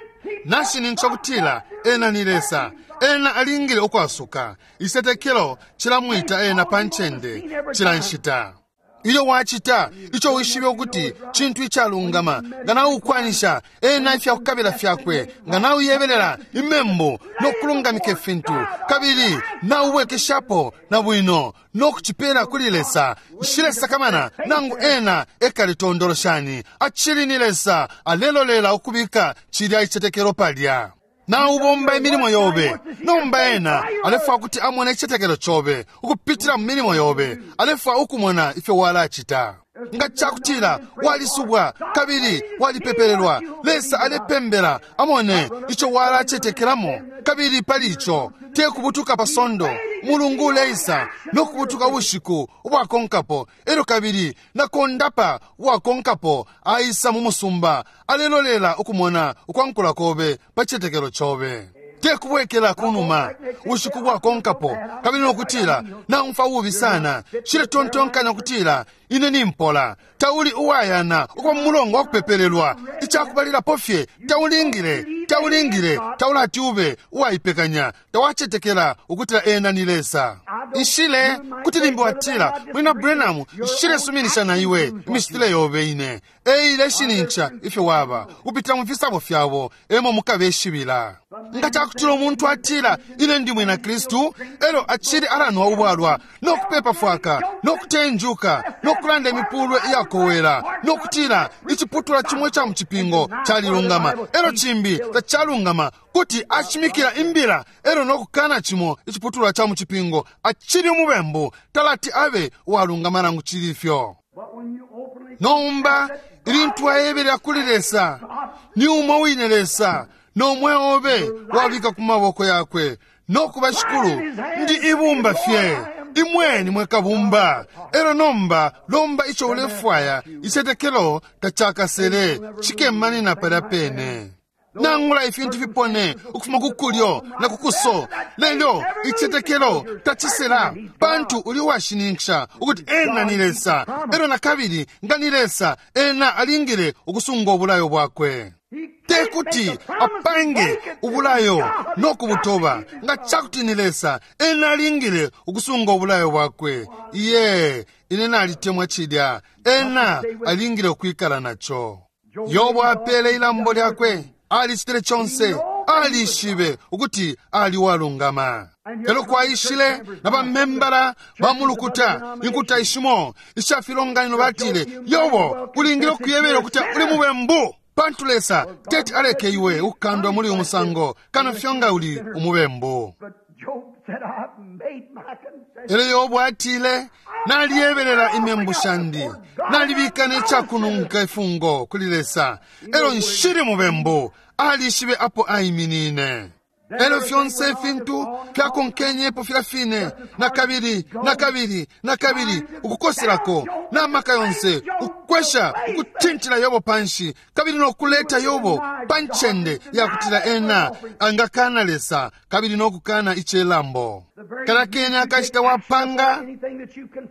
nashininkisha kutila ena ni Lesa, ena alingile ukwasuka. Isetekelo cilamwita ena pa ncende cila nshita. Ilyo wacita ico wishibe ukuti cintu icalungama, nga naukwanisha ena ifyakukabila fyakwe, nga nauyebelela imembu nokulungamika ifintu, kabili nauwekeshapo na bwino nokucipela kuli Lesa, nshilesakamana nangu ena ekalitondoloshani, acili ni Lesa alelolela ukubika cilya icetekelo palya. Naubomba imilimo yobe, nomba ena alefwaya kuti amone icicetekelo cobe ukupitila mu milimo yobe, alefwaya ukumona ifyo walacita. Nga cakutila walisubwa kabili walipepelelwa, Lesa alepembela amone ico walacetekelamo, kabili pali ico te kubutuka pa sondo mulungu uleisa nokubutuka ubushiku ubwakonkapo, elyo kabili nakondapa uwakonkapo aisa mu musumba alelolela ukumona ukwankula kobe pa cicetekelo cobe. Te kubwekela kunuma ubushiku bwakonkapo kabili nokutila naumfa ububi sana, nshiletontonkanya kutila ine nimpola. Tauli uwayana ukuba mu mulongo wa kupepelelwa, icakubalilapo fye taulingile taulingile taulati ube uwaipekanya, tawacetekela ukutila ena ni Lesa. Nshile kuti limbi watila, Mwina Branham, nshilesuminisha na iwe imishitile yobe ine eileshinincha ifyo waba kupitila mu fisabo fyabo emo mukabeshibila. Nga cakutila umuntu atila ine ndi mwina Kristu, elyo acili alanwa ubwalwa nokupepa fwaka nokutenjuka nokulanda imipulwe iyakowela nokutila iciputula cimwe ca mucipingo calilungama elyo cimbi tacalungama, kuti acimikila imbila elyo nokukana cimo iciputulwa ca mucipingo, acili umubembu, talati abe uwalungama nangu cili ifyo. Nomba ilintu ayebelela kuli Lesa, ni umo wine Lesa nomwe obe wabika ku maboko yakwe nokuba shikulu, ndi ibumba fye imwe nimwe kabumba. Elyo nomba lomba ico ulefwaya, icetekelo tacakasele cikemanina palya pene. Nangula ifintu fipone ukufuma ku kulyo na ku kuso, lelo icetekelo tacisela, pantu uli washininkisha ukuti ena ni Lesa. Elyo na kabili nga ni Lesa, ena alingile ukusunga ubulayo bwakwe. Te kuti apange ubulayo nokubutoba. Nga cakuti ni Lesa, ena alingile ukusunga ubulayo bwakwe. Iye, ine nalitemwa cilya, ena alingile ukwikala naco. Yobo apele ilambo lyakwe, alicitile conse, alishibe ukuti ali walungama. Elo kwaishile na bamembala ba mulukuta inkuta ishimo isha filonganino batile, Yobo ulingile ukuyebela ukuti uli mubembu, pantu Lesa teti aleke iwe ukukandwa muli umusango kano fyonga uli umubembu. Elo Yobo atile, naliyebelela imembu shandi, nalibika necakununka ifungo kuli Lesa, elo nshili mubembu. Alishibe apo aiminine. Elo fyonse ifintu fyakonkenyepo filya fine, na kabili na kabili na kabili, ukukoselako n'amaka yonse, ukwesha ukutintila Yobo panshi, kabili nokuleta Yobo pa ncende yakutila ena angakana Lesa kabili nokukana icelambo. Kalakene akashita wapanga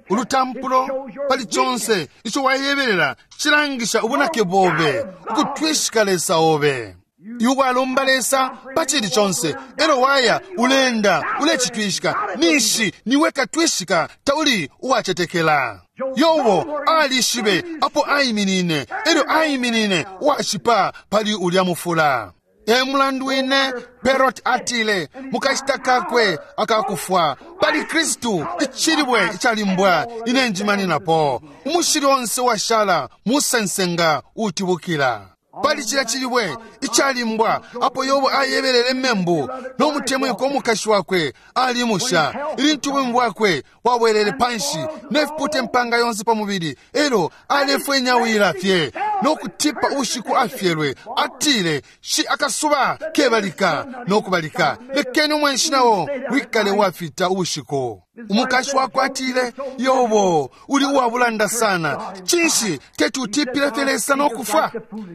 ulutampulo pali conse ico wayebelela cilangisha ubunake bobe, ukutwishika Lesa obe. Iwe Lesa pachili chonse elo waya ulenda ulechitwishika nishi niwe katwishika tauli uwachetekela. Yobo alishibe apo ayiminine elyo ayiminine washipa pali ulya mufula. E mulandu wine Perot atile mukashita kakwe akakufwa pali Kristu ichilibwe ichalimbwa inenjimaninapo umushili onse washala musensenga utibukila. Pali chila chilibwe ichalimbwa apo Yobo ayebelele membu n'omutemwiko omukashi wakwe alimusha ilintu bwemu bwakwe wabwelele panshi nefipute mpanga yonse pa mubili elo alefwenyawila fye n'okutipa ubushiku afyelwe atile shi akasuba kebalika n'okubalika lekeni omwenshi nawo wikale wafita ubushiku. Umukashi wakwe atile Yobo uli uwabulanda sana chinshi teti utipile fye Lesa n'okufa.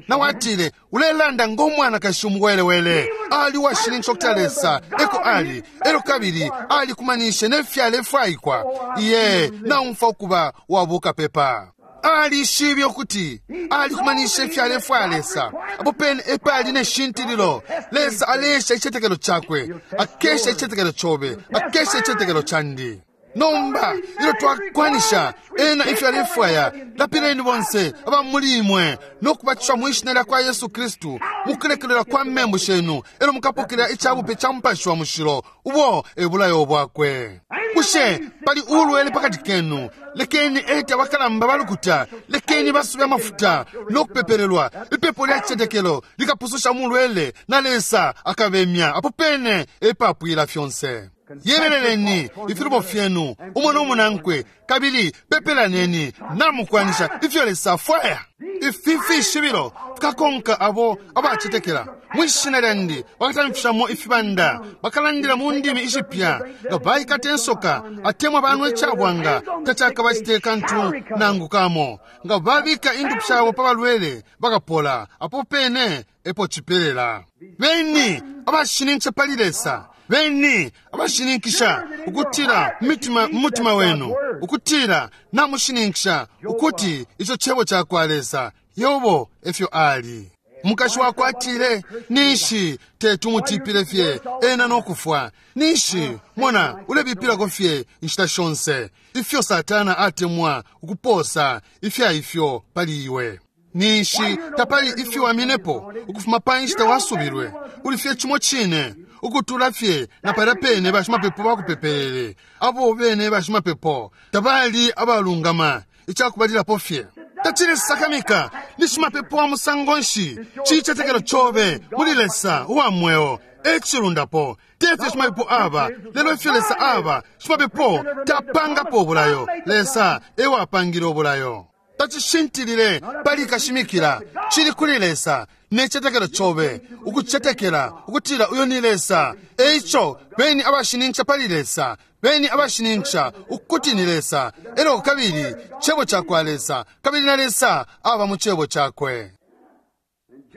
Nawe atile ulelanda ng'omwanakashi umuwelewele ali washinincha okuta Lesa eko ali elo kabili ali kumanishe nefyalefwaikwa iye naumfa okuba wabuka pepa. Alishibye okuti alikumanisha ifyalefwaya Lesa apo pene epali neshintililo. Lesa alesha ichetekelo chakwe akesha ichetekelo chobe akesha ichetekelo chandi. Nomba ilo twakwanisha ena ifyalefwaya lapileni bonse abamulimwe n'okubatiswa mwishina lya kwa Yesu Kristu mukulekelera kwa membu shenu elo mukapokera ichabupe cha mupashi wa mushilo ubo ebulayo bwakwe. Bushe pali ulwele pakati kenu lekeni ete abakalamba balukuta lekeni basube amafuta n'okupeperelwa ipepo lya chichetekelo likapususha mulwele na Lesa akabemya apo pene epapwila fyonse. Yebeleleni ifilubo fyenu umwe n'omunankwe kabili pepelaneni namukwanisha ifyo Lesa afwaya. Ifi fishibilo fikakonka abo abachetekela mwishina lyandi bakatamfishamo ifibanda bakalandila mu ndimi ishipya nga baikata ensoka atemwa banwe echabwanga tachakabachiteka ntu nangu kamo nga babika indupu shabo pa balwele bakapola apo pene epo chipelela. Beni abashinincha pali Lesa beni abashininkisha ukutira mumitima mumutima wenu ukutira namushininkisha ukuti icho chebo chakwa Lesa. Yobo efyo ali mukashi wakwe atile nishi tetumutipile fye ena n'okufwa nishi mona ulebipilako fye inshita shonse ifyo Satana atemwa ukuposa ifya ifyo pali iwe. Nishi tapali ifyo waminepo ukufuma pa nshita wasubilwe uli fye chimo chine ukutula fye na palya pene bashimapepo bakupepelele abo bene bashimapepo tabali abalungama ichakubalilapo fye tachilisakamika ni shimapepo wa musango nshi chichetekelo chobe muli Lesa uwa mweo echilundapo tefye shimapepo aba lelo ifyo Lesa aba shimapepo tapangapo obulayo Lesa ewapangile obulayo. Tachishintilile pali kashimikila chili kuli Lesa nechetekelo chobe ukuchetekela ukutila uyo ni Lesa. Eicho beni abashinincha pali Lesa beni abashinincha ukuti ni Lesa elo kabili chebo chakwa Lesa kabili na Lesa aba mu chebo chakwe.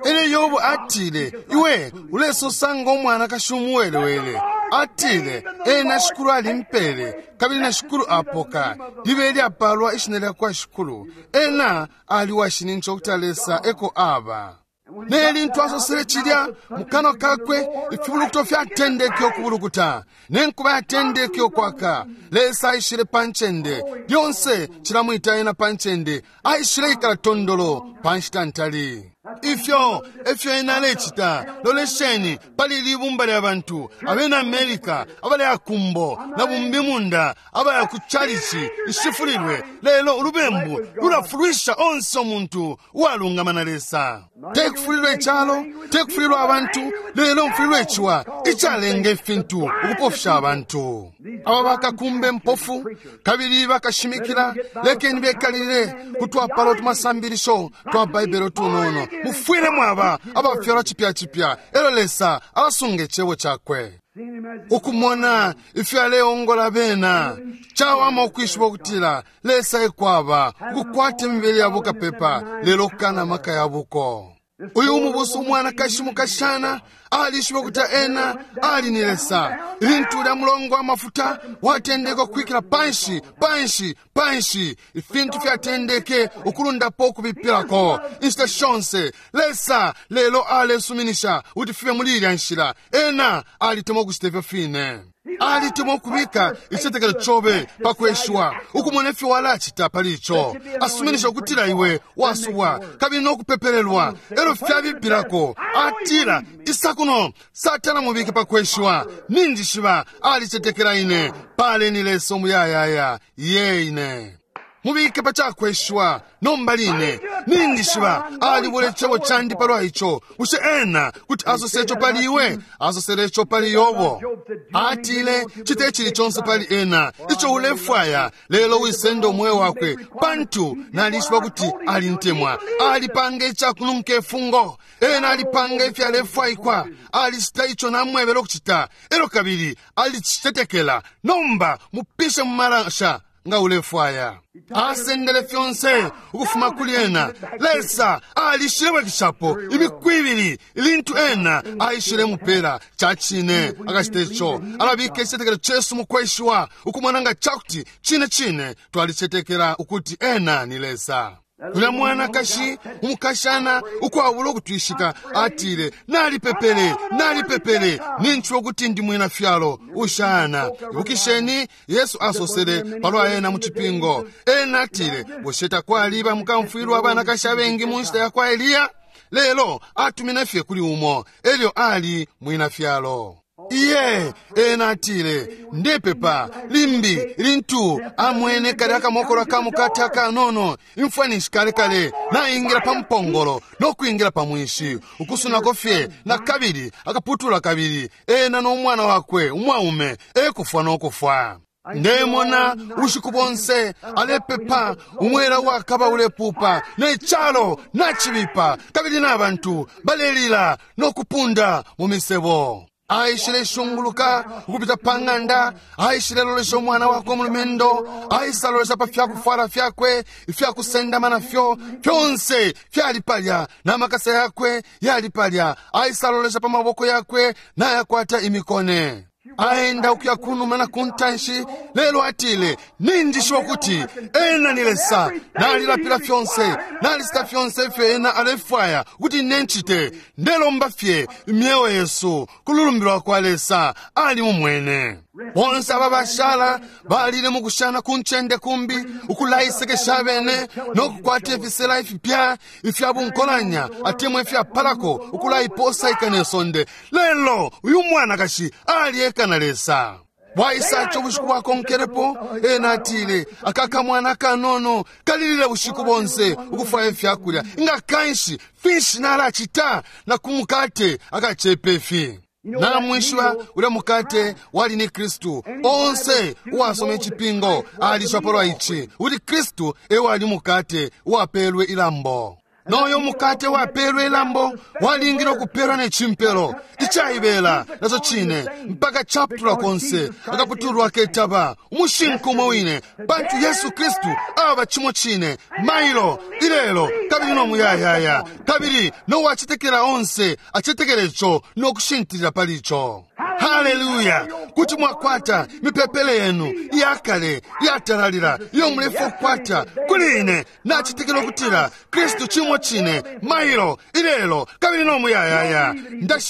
Ele Yobo atile iwe ulesosanga omwana kashumuwelewele atile ena shikulu alimpele kabili na shikulu apoka libe lyapalwa ishina lya kwa shikulu ena ali washinincha okuti Lesa eko aba. Neli asosele chilya mukano kakwe ifibulukuto fyatendeke okubulukuta nenkuba yatendeke okwaka. Lesa aishile panchende lyonse chilamwita ena panchende aishile ikala tondolo panshita ntali. Ifyo efyo ena alechita lolesheni pali libumba lya bantu abena Amerika abali akumbo na bumbi munda abaya ku chalichi ishifulilwe lelo ulubembu lulafulwisha onse omuntu uwalungama na Lesa. Tekufulilwa echalo tekufulilwa abantu lelo mfulilwa echiwa ichalenga efintu ukupofisha abantu. Aba bakakumbe mpofu kabili bakashimikila lekeni bekalile kutwapala otumasambilisho twa Baibele tunono mufwile mwaba abafyalwa chipya chipya elo Lesa abasunga echebo chakwe. Ukumona ifyo aleongola bena chawama okwishiba okutila Lesa ekwaba ukukwata emibele ya bukapepa lelo okukana amaka ya buko. Uyu umubusu umwanakashi mukashana alishiba ukuti ena ali ni Lesa. Ilintu ulya mulongo amafuta watendeke ukwikila panshi panshi panshi, ifintu fyatendeke ukulundapo ukubipilako inshita shonse. Lesa lelo alesuminisha kuti fibe muli ilya nshila. Ena alitemwa ukucita ifyo fine. Alitemwa ukubika icitetekelo cobe pakweshiwa, ukumona ifyo walacita pali ico. Asuminisha ukutila iwe wasubwa kabili nokupepelelwa, elo fyabipilako. Atila, isa kuno, Satana mubike pakweshiwa. Ninjishiba alicetekela ine. Paleni Lesa umuyayaya ye ine. Mubike pacakweshiwa nomba line. Ninjishiba alibula icebo candi palwa ico. Bushe ena kuti asose ico pali iwe? Asosele ico pali Yobo. Atile, cite icili conse pali ena ico ulefwaya, lelo wisende umweo wakwe, pantu nalishiba kuti alintemwa. Alipanga icakununka ifungo. Ena alipanga ifyalefwaikwa. Alicita ico namwebele ukucita, elo kabili alicicetekela. Nomba mupishe mu malasha nga ulefwaya. Asendele fyonse ukufuma kuli ena. Lesa alishilebwekeshapo imiku ibili ilintu ena aishile mupela. Cacine akacita ico. Alabika icitetekelo cesu mukweshiwa, ukumona nga cakuti cine cine twalicetekela ukuti ena ni Lesa. Ulya mwanakashi umukashana ukwabula ukutwishika atile, nalipepele, nalipepele, ninchiwa ukuti ndi mwina fyalo ushana. Ibukisheni Yesu asosele palwa ena mu cipingo. Ena atile, bushe takwaliba mukamfwilwa abanakashi abengi mu nshita ya kwa Eliya? Lelo atumine fye kuli umo, elyo ali mwina fyalo. Iye, ena atile, ndepepa limbi lintu amwene kale akamokolo kamukate akanono, imfwanishi kale kale naingila pa mpongolo nokwingila pa mwinshi, ukusunako fye na kabili akaputula kabili, ena n'omwana wakwe umwaume ekufwa n'okufwa. Ndemona ubushiku bonse alepepa, umwela wakaba ulepupa, ne calo nacibipa, kabili n'abantu balelila nokupunda mu misebo. Aishile shunguluka ukupita pa ng'anda, aishile lolesha umwana wakwe umulumendo, aisa lolesha pa fyakufwala fyakwe ifyakusendama nafyo fyonse fyali palya, n'amakasa yakwe yali palya. Aisa lolesha pa maboko yakwe nayakwata imikone. Aenda ukuya kunuma na kuntanshi, lelo atile, ninjishiba ukuti ena ni Lesa. Nalilapila fyonse, nalicita fyonse ifyo ena alefwaya ukuti nencite. Ndelomba fye imyeo yesu kululumbi kwa Lesa ali mumwene. Bonse aba bashala balile mukushana ku ncende kumbi, ukulaisekesha abene nokukwata ifisela ifipya ifya bunkolanya atemwa ifyapalako, ukulaiposaika ne sonde. Lelo uyu mwanakashi alieka na Lesa. Bwaisaca ubushiku bwakonkelepo, ena atile, aka kamwana kanono kalilile bushiku bonse ukufwaya ifyakulya. Nga kanshi finshi nalacita na ku mukate akacepa ifi? Namwishiba ulya mukate wali ni Kristu. Onse uwasoma icipingo alishiba palwa ici, ukuti Kristu ewali mukate uwapelwe ilambo. Noyo mukate wapelwe ilambo walingile ukupelwa ne cimpelo icaibela naco cine, mpaka caputulwa konse akaputulwa ketaba umushinku umo wine, pantu Yesu Kristu aba cimo cine mailo ilelo kabili no muyayaya, kabili nowacetekela onse acetekele ico nokushintilila pali ico. Haleluya! Kuti mwakwata mipepele yenu iyakale iyatalalila iyo mulefa kukwata kuli ine. Nacetekela ukutila Kristu cimo cine mailo ilelo kabili no muyayaya.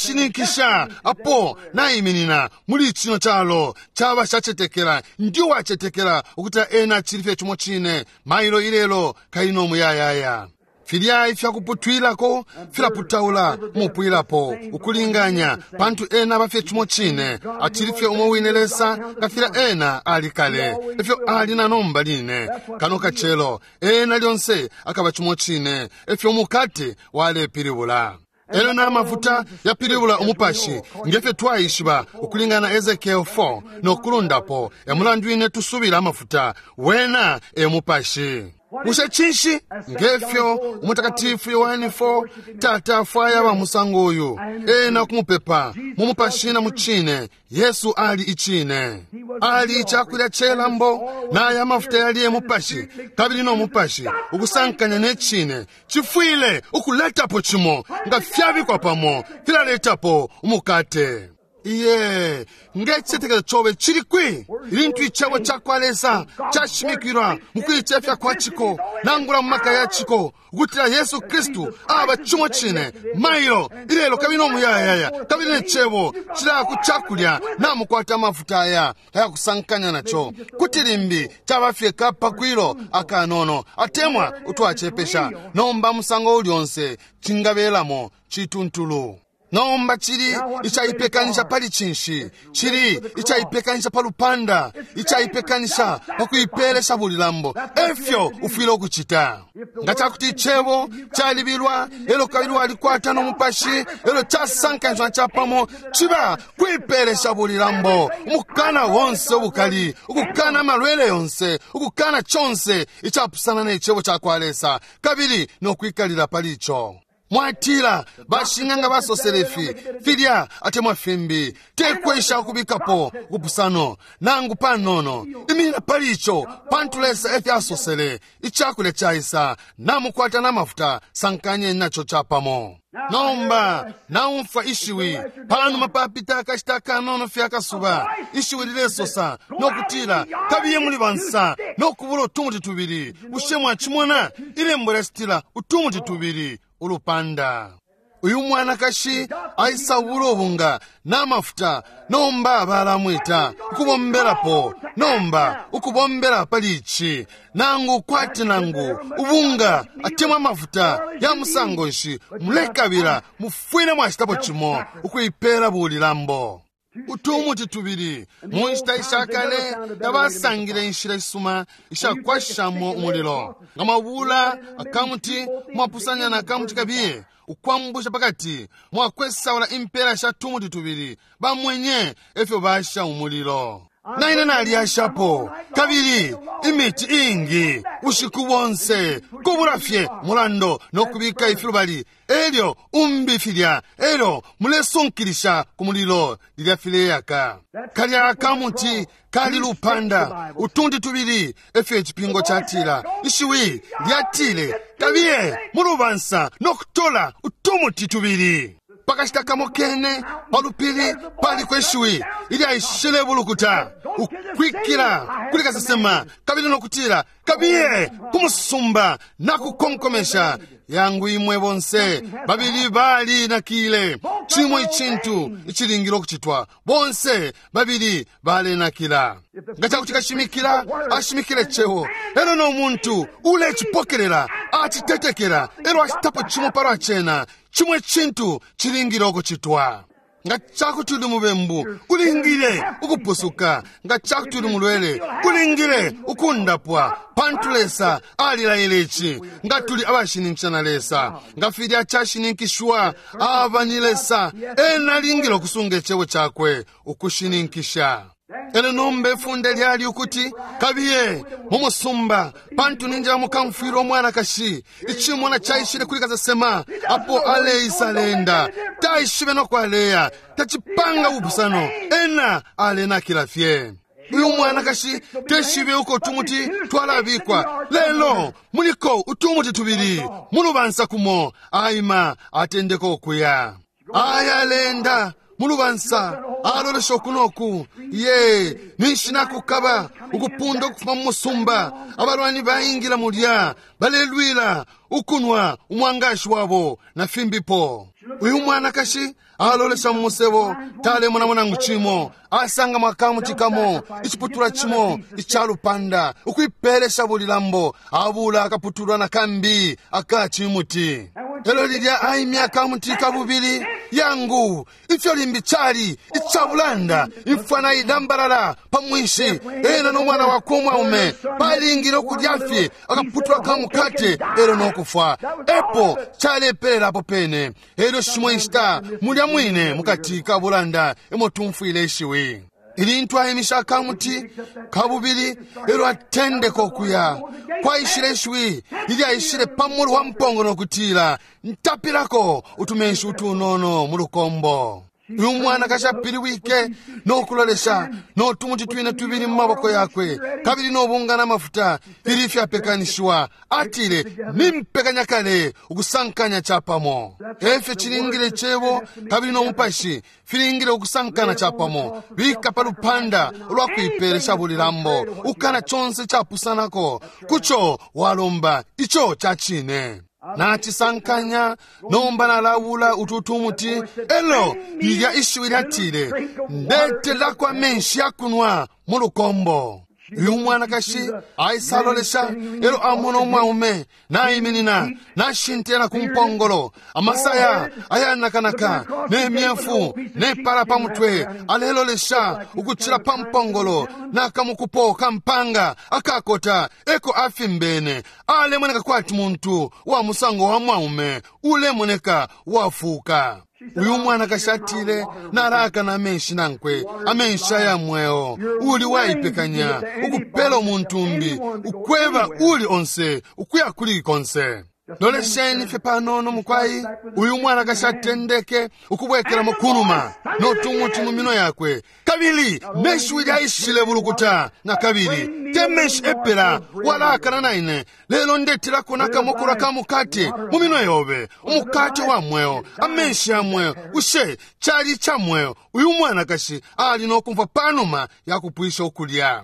Ndashininkisha apo naiminina muli cino calo caba shacetekela, ndi wacetekela ukutila ena acili fye cimo cine mailo ilelo kabili no muyayaya. Filya ifyakuputwilako filaputaula mupwilapo ukulinganya, pantu ena abafye cimo cine, acili fye umo wine Lesa nga filya ena ali kale, efyo ali na nomba line kano kacelo. Ena lyonse akaba cimo cine, efyo umukate walepilibula. Elyo n'amafuta yapilibula umupashi, ngefyo twaishiba ukulingana na Ezekiel four nokulundapo. E mulandu ine tusubila amafuta, wena e mupashi. Bushe cinshi? Ngefyo Umutakatifu Yohane four tata afwaya ba musango uyu, ena kumupepa mu mupashi na mu cine. Yesu ali icine, ali icakulya celambo, naya amafuta yali e mupashi, kabili no mupashi ukusankanya ne cine cifwile ukuletapo cimo. Nga fyabikwa pamo filaletapo umukate. Iye, ngecicetekelo cobe cili kwi? Ilintu icebo cakwa Lesa cashimikilwa mukuicefya kwa ciko nangula mu maka ya ciko, ukutila Yesu Kristu aba cimo cine mailo ilelo kabili no muyayaya, kabili ne cebo cila ku cakulya namukwata amafuta aya ayakusankanya naco, kuti limbi caba fye kapakwilo akanono atemwa utwacepesha. Nomba musango uli onse cingabelamo cituntulu. Nomba cili icaipekanisha pali cinshi? Cili icaipekanisha pa lupanda, icaipekanisha pa kuipelesha bulilambo. Efyo ufwile ukucita. Nga cakuti icebo calibilwa, elo kabili walikwata no mupashi, elo casankanishwa capamo, ciba kuipelesha bulilambo, umukana wonse ubukali, ukukana amalwele yonse, ukukana conse icapusana ne cebo cakwa Lesa, kabili no kwikalila pali ico. Mwatila bashing'anga basosele ifi filya atemwa fimbi, tekwesha ukubikapo ubupusano nangu panono. Iminina pali ico, pantu Lesa efyo asosele. Icakulya caisa, namukwata n'amafuta, sankanyeni naco capamo. Nomba naumfwa ishiwi panuma papita akashita kanono fye akasuba, ishiwi lilesosa nokutila, kabiye muli bansa nokubula utumuti tubili. Bushe mwacimona? Ilembo lyacitila utumuti tubili ulupanda. Uyu mwanakashi aisabula ubunga n'amafuta, nomba balamwita ukubombelapo. Nomba ukubombela pali ici, nangu kwati nangu ubunga atemwa amafuta ya musango nshi mulekabila, mufwile mwacitapo cimo ukuipela bulilambo. Utumuti tubili. Mu nshita ishakale tabasangile inshila isuma ishakwashamo umulilo. Nga mwabula akamuti mwapusanya na akamuti kabiye ukwambusha pakati, mwakwesaula impela sha tumuti tubili, bamwenye efyo basha umulilo. Naine nalyashapo kabili imiti ingi bushiku bonse, kubula fye mulando nokubika ifilubali, elyo umbi filya, elyo mulesunkilisha ku mulilo lilya fileyaka. Kalya akamuti kali lupanda, utundi tubili efyo icipingo catila. Ishiwi lyatile, kabiye mulubansa nokutola utumuti tubili. Pakashita kamo kene palupili paliko ishiwi ilyaishile bulukuta ukwikila kuli kasesema, kabili nokutila, kabiye kumusumba nakukonkomesha. Yangu imwe bonse babili bali nakile cimo icintu icilingile ukucitwa, bonse babili balenakila. Nga cakuti kashimikila ashimikile cebo, elo no muntu ulecipokelela acitetekela, elo acitapo cimo palwa cena, cimo icintu cilingile ukucitwa. Nga cakuti uli mubembu, ulingile ukupusuka. Nga cakuti uli mulwele, ulingile ukundapwa, pantu Lesa alilaile ici. Nga tuli abashininkisha na Lesa, nga filya cashininkishwa aba ni Lesa, ena alingile ukusunga icebo cakwe ukushininkisha. Elo nomba ifunde lyali ukuti, kabiye mu musumba, pantu ninjila mukamfwila umwanakashi. Icimona caishile kuli kasesema apo aleisa alenda, taishibe noko aleya, tacipanga ubupusano, ena alenakila fye. Uyu mwanakashi teshibe uko utumuti twalabikwa, lelo muliko utumuti tubili mulubansa kumo. Aima atendeka ukuya, aya alenda mulubansa, alolesha uku noku. Ye ninshi nakukaba ukupunda ukufuma mu musumba. Abalwani baingila mulya, balelwila ukunwa umwangashi wabo na fimbipo. Uyu mwanakashi alolesha mu musebo, talemonamo nangu cimo. Asanga mwakamuti kamo iciputulwa cimo icalupanda, ukuipelesha bulilambo. Abula akaputulwa na kambi aka cimuti. Elo lilya aimya akamuti kabubili, yangu ifyo limbi cali icabulanda. Imfwana idambalala pa mwinshi, ena no mwana wakwe umwaume balingile ukulya fye akaputulwa ka mukate elo nokufwa. Epo calepelela apo pene. Elyo shimo inshita mulya mwine mukati ka bulanda emo tumfwile ishiwi. Ilintu aimisha akamuti kabubili elo atendeka okuya kwaishile ishiwi ilyaishile pamulu wa mpongo nokutila ntapilako utumenshi utunono mu lukombo. Uyu mwanakashi apiliwike nokulolesha notumuti twine tubili mu maboko yakwe kabili nobunga n'amafuta fili fyapekanishiwa. Atile nimpekanya kale ukusankanya chapamo. Efyo chilingile chebo kabili n'omupashi filingile ukusankana chapamo. Bika pa lupanda ulwakuipelesha bulilambo ukana chonse chapusanako kucho walomba icho chachine. Nachisankanya nomba nalawula ututumuti elo lilya ishiwi lyatile ndetelako amenshi yakunwa mu lukombo. Uyu mwanakashi aisalolesha elo amona umwaume naiminina nashintela ku mpongolo amasaya ayanakanaka nemyefu nepala pa mutwe alelolesha ukuchila pa mpongolo nakamukupo kampanga akakota eko afimbene alemoneka kwati muntu wa musango wa mwaume ulemoneka wafuka. Uyu mwanakashi atile nalaka na amenshi nankwe amenshi aya mweo uli waipekanya ukupela omuntu umbi ukweba uli onse ukuya kuli konse. Lolesheni fye panono mukwayi. Uyu mwanakashi atendeke ukubwekelamo kunuma notumuti mu minwe yakwe kabili meshiwi lyaishile bulukuta na kabili te menshi epela walakana naine lelo ndetelako nakamokolo ka mukate mu minwe yobe umukate wa mweo amenshi ya mweo ushe chali cha mweo. Uyu mwanakashi ali nokumva panuma yakupwisha ukulya.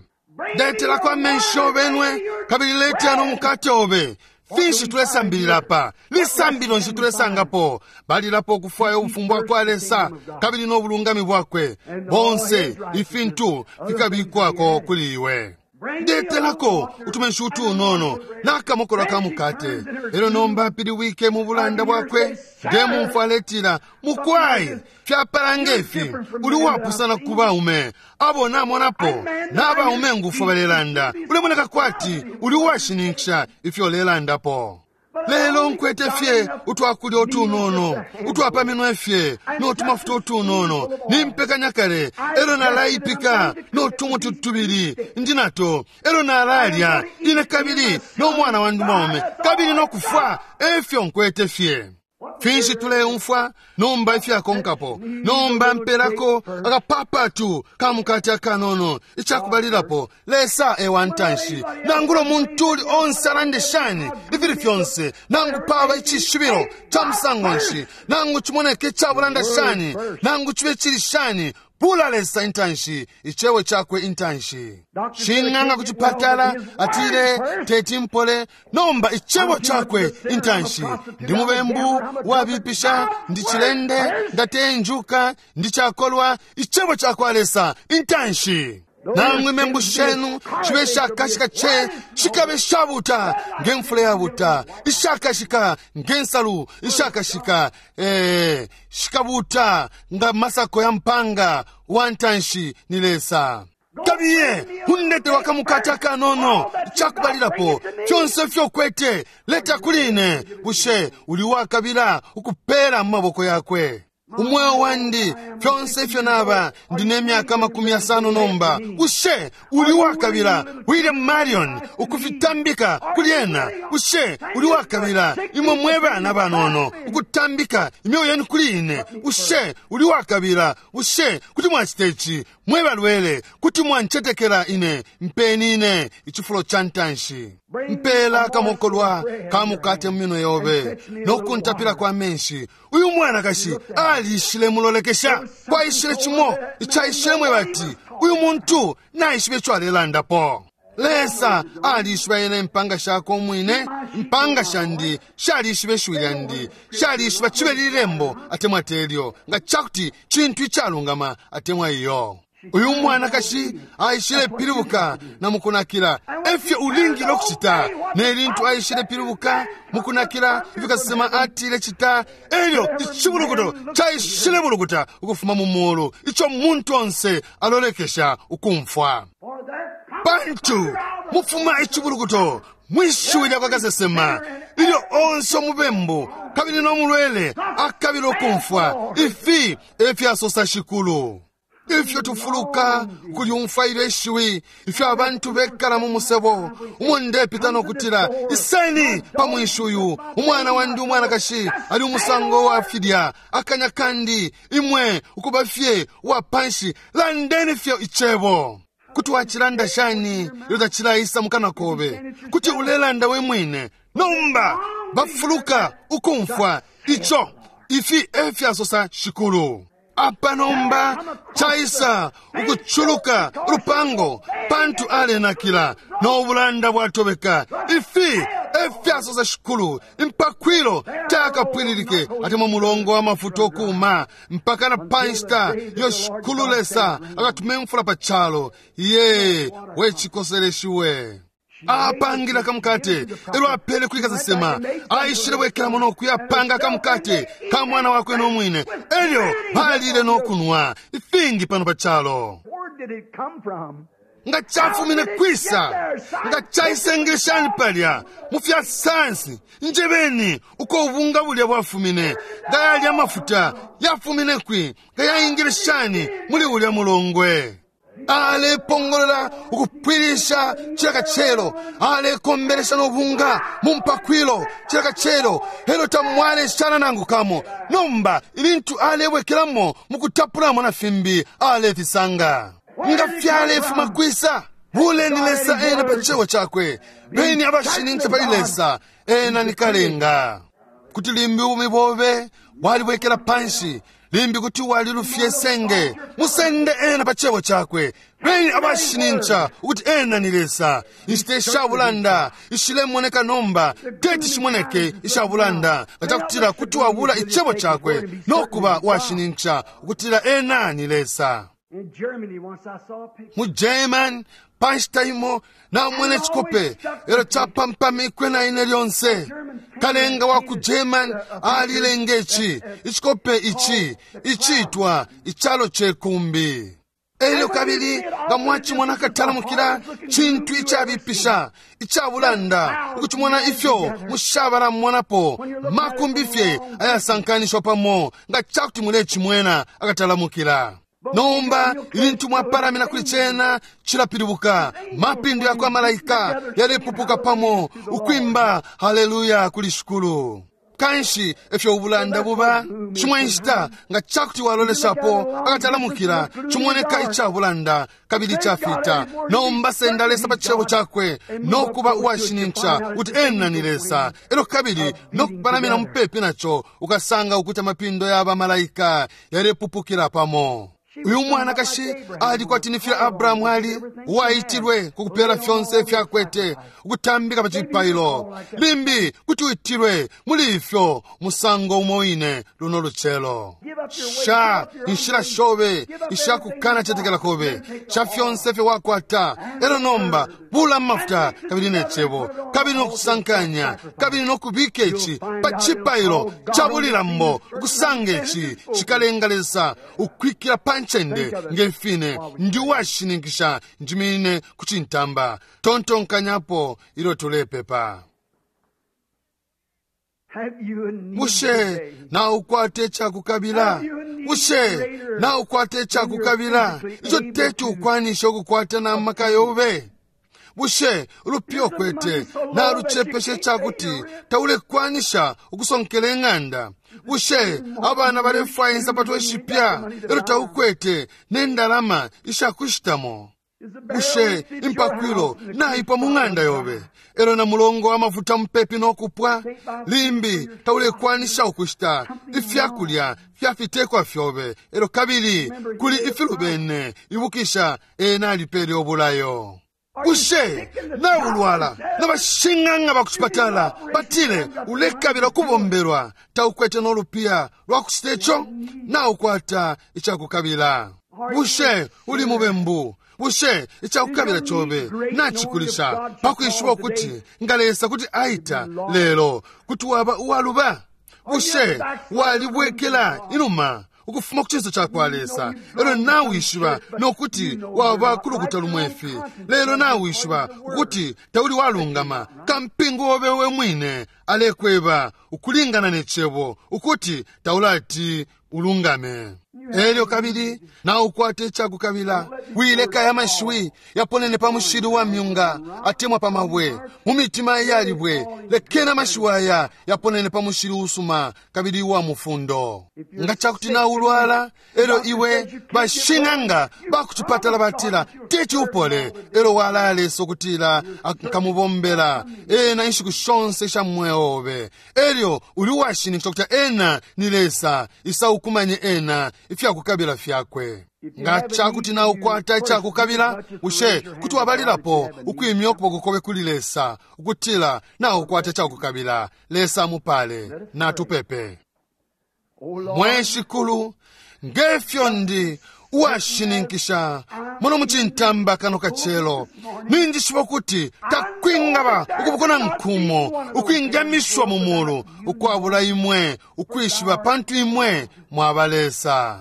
Ndetelako amenshi obenwe kabili letya nomukate obe. Finshi tulesambilila pa lisambilo nshi tulesangapo balilapo okufwaya obufumu bwa kwa Lesa kabili n'obulungami bwakwe bonse ifintu fikabikwako kuli iwe. Ndetelako utumenshi utunono nakamokolo ka mukate. Elo nomba apiliwike mu bulanda bwakwe ndemumfwa aletila mukwayi fyapala ngefi uli wapusana ku baume abo namonapo n'abaume ngufu balelanda ulemoneka kwati uli washininkisha ifyo ulelandapo. Lelo nkwete fye utwakulya utunono utwapaminwe fye n'otumafuta utunono nimpekanya kale elo nalaipika n'otumuti tubili ndi nato elo nalalya ine kabili n'omwana wandu mwaume kabili n'okufwa efyo nkwete fye. Finshi tuleumfwa nomba ifyakonkapo nomba mpelako akapapatu kamukate akanono ichakubalilapo Lesa ewantanshi nangulo muntu uli onse alande shani ifili fyonse nangu paba icishibilo cha musango nshi nangu chimoneke chabulanda shani nangu chibe chili shani pula Lesa intanshi ichewe chakwe intanshi. Shing'anga kuchipatala atile teti mpole nomba ichewo chakwe intanshi. Ndi mubembu wabipisha ndi chilende ndatenjuka ndi chakolwa ichewo chakwa Lesa intanshi. Namwe membu shenu chibe shakashika che chikabe shabuta ngemfula yabuta ishakashika ngensalu ishakashika eh shikabuta nga masako ya mpanga wantanshi ni Lesa. Kabiye hundete wakamukata kanono chakubalilapo fyonse fyokwete leta kuline bushe uli wakabila ukupela mu maboko yakwe. Umweo wandi fyonse ifyo naba ndi n'emyaka makumi asano nomba ushe uli wakabila William Marion ukufitambika kuli ena ushe uli wakabila imwe mwe bana banono ukutambika imyoyo yenu kuli ine ushe uli wakabila ushe kuti mwachita ichi mwe balwele kuti mwanchetekela ine mpeni ine ichifulo cha ntanshi. Mpela kamokolwa kamukate mu minwe yobe nokuntapila kwa menshi. Uyu mwanakashi alishile mulolekesha kwaishile chimo ichaishile mwe bati uyu muntu naishibe icho alelandapo. Lesa alishiba ene mpanga shako mwine mpanga shandi shalishiba ishiwi lyandi shalishiba chibe lilembo atemwa telyo nga chakuti chintu ichalungama atemwa iyo. Uyu mwanakashi aishile pilibuka na mukunakila efyo ulingile okuchita nelintu aishile pilibuka mukunakila ifikasema atile chita elyo ichibulukuto chaishile bulukuta ukufuma mu mulu icho muntu onse alolekesha ukumfwa. Pantu mufuma ichibulukuto mwishiwi lyakwa kasesema ilyo onse omubembu kabili n'omulwele akabila okumfwa ifi efyasosa shikulu. Ifyo tufuluka kulyumfwa ilyo ishiwi, ifyo abantu bekala mu musebo umo ndepita nokutila, iseni pa mwinshi uyu, umwana wandi umwanakashi ali umusango wa filya, akanya kandi imwe ukuba fye uwa panshi, landeni fye icebo. Kuti wacilanda shani ilyo tacilaisa mukana kobe? Kuti ulelanda we mwine. Nomba bafuluka ukumfwa ico. Ifi efyasosa Shikulu. Apa nomba caisa ukuculuka ulupango pantu alenakila no bulanda bwatobeka. Ifi efyasosa Shikulu, impakwilo takapwililike atemwa mulongo wa mafuta okuma mpaka na panshita iyo Shikulu Lesa akatume mfula pa calo. Ye wechikoseleshiwe. Apangila kamukate elo apele kuli kasesema, aishile bwekelamo nokuyapanga kamukate ka mwana wakwe nomwine, elyo balile nokunwa ifingi pano pa calo. Where did it come from? Nga chafumine kwisa, nga chaisengeleshani palya mu fya sayansi, njebeni uko ubunga bulya bwafumine, nga yalya amafuta yafumine kwi, nga yaingileshani muli ulya mulongwe. Alepongolola ukupwilisha cila kacelo, alekombelesha nobunga mu mpakwilo cila kacelo, elo tamwaleshana nangu kamo. Nomba ilintu alebwekelamo mu kutapulamo na fimbi alefisanga. Nga fyalefuma kwisa, buleni Lesa ena pa cebo cakwe, beni abashinincha pali Lesa ena ni kalenga. Kuti limbi ubumi bobe bwalibwekela panshi, limbi kuti walilufye senge, musende ena pa cebo cakwe, beni abashinincha ukuti ena ni Lesa. Inshita ishabulanda ishilemoneka nomba teti shimoneke ishabulanda, nga cakutila kuti wabula icebo cakwe nokuba washinincha ukutila ena ni Lesa. In Germany, once I saw a picture. Mu German panshita imo namwene chikope elo chapampamikwe na ine lyonse. Kalenga wa ku German alilenga ichi ichikope ichi ichitwa ichalo chekumbi. Elyo kabili nga mwachimona akatalamukila chintu ichabipisha ichabulanda ukuchimona ifyo mushabalamumonapo makumbi fye ayasankanishwa pamo nga chakuti mulechimwena akatalamukila. Nomba ilintu mwapalamina kuli chena chilapilibuka, mapindo yakwa malaika yalepupuka pamo ukwimba haleluya kuli Shikulu. Kanshi efyo ubulanda buba chimwe nshita nga chakuti waloleshapo akatalamukila chimoneka ichabulanda kabili chafita. Nomba senda Lesa pa cebo chakwe nokuba uwashinincha kuti ena ni Lesa, elo kabili nokupalamina mupepi nacho ukasanga ukuti amapindo ya malaika yalepupukila pamo. Uyu mwanakashi ali kwati ni fya Abrahamu ali uwaitilwe kukupela fyonse ifyakwete ukutambika pa cipailo. Limbi kuti uitilwe muli ifyo musango umo wine luno lucelo. Sha inshila shobe ishakukana chetekela kobe sha fyonse fye wakwata, elo nomba bula mafuta kabili ne cebo kabili nokusankanya kabili nokubika ichi pa cipailo cha bulilambo, ukusanga ichi chikalenga Lesa ukwikila pa ncende ngefine ndi washininkisha njimine kuchintamba. Tontonkanyapo ilo tulepepa. Have you a need Bushe today? na ukwate chakukabila? Bushe na ukwate chakukabila icho teti ukwanisha ukukwata na maka yobe? Bushe ulupyo kwete na luchepeshe chakuti taulekwanisha ukusonkela eng'anda? Bushe abana balefwaya insapato ishipya elo taukwete nendalama ishakushitamo? Is the barrel Bushe that fits your impakwilo house and the naipwa mu ng'anda yobe elo na mulongo wa mafuta mupepi nokupwa? Limbi taulekwanisha ukushita ifyakulya fyafitekwa fyobe elo kabili kuli ifilubene. Ibukisha ena alipele obulayo. Bushe naulwala nabashing'anga bakuchipatala batile ulekabila kubombelwa, taukwete nolupiya lwakuchita icho? Naukwata ichakukabila. Bushe uli mubembu? Bushe ichakukabila chobe nachikulisha pakwishiba ukuti nga Lesa kuti aita lelo kuti waba uwaluba? Bushe walibwekela inuma ukufuma ku chinso chakwa Lesa, elo nawishiba nokuti waba kulukuta lumwefi? Lelo nawishiba ukuti tauli walungama, kampingu wobe we mwine alekweba ukulingana ne cebo ukuti taulati ulungame. Elyo kabili naukwata icakukabila, wileka aya mashiwi yaponene pa mushili wa myunga atemwa pa mabwe mu mitima iyalibwe. Lekeni amashiwi aya yaponene pa mushili usuma kabili uwa mufundo. Nga cakuti naulwala, elyo iwe bashing'anga bakucipatala batila teti upole, elyo walaya Lesa ukutila nkamubombela ena inshiku shonse isha mweo obe, elyo uli uwashininkisha ukuti ena ni Lesa, isa ukumanye ena ifyakukabila fyakwe. Nga cakuti naukwata icakukabila, bushe kuti wabalilapo ukwimya ukuboko kobe kuli Lesa ukutila naukwata icakukabila? Lesa amupale. Natupepe. Mwe Shikulu, ngefyo ndi uwashininkisha muno mucintamba kano kacelo, ninjishiba ukuti takwingaba ukuboko nkumo ukwingamishwa mu mulu ukwabula imwe ukwishiba, pantu imwe mwaba Lesa.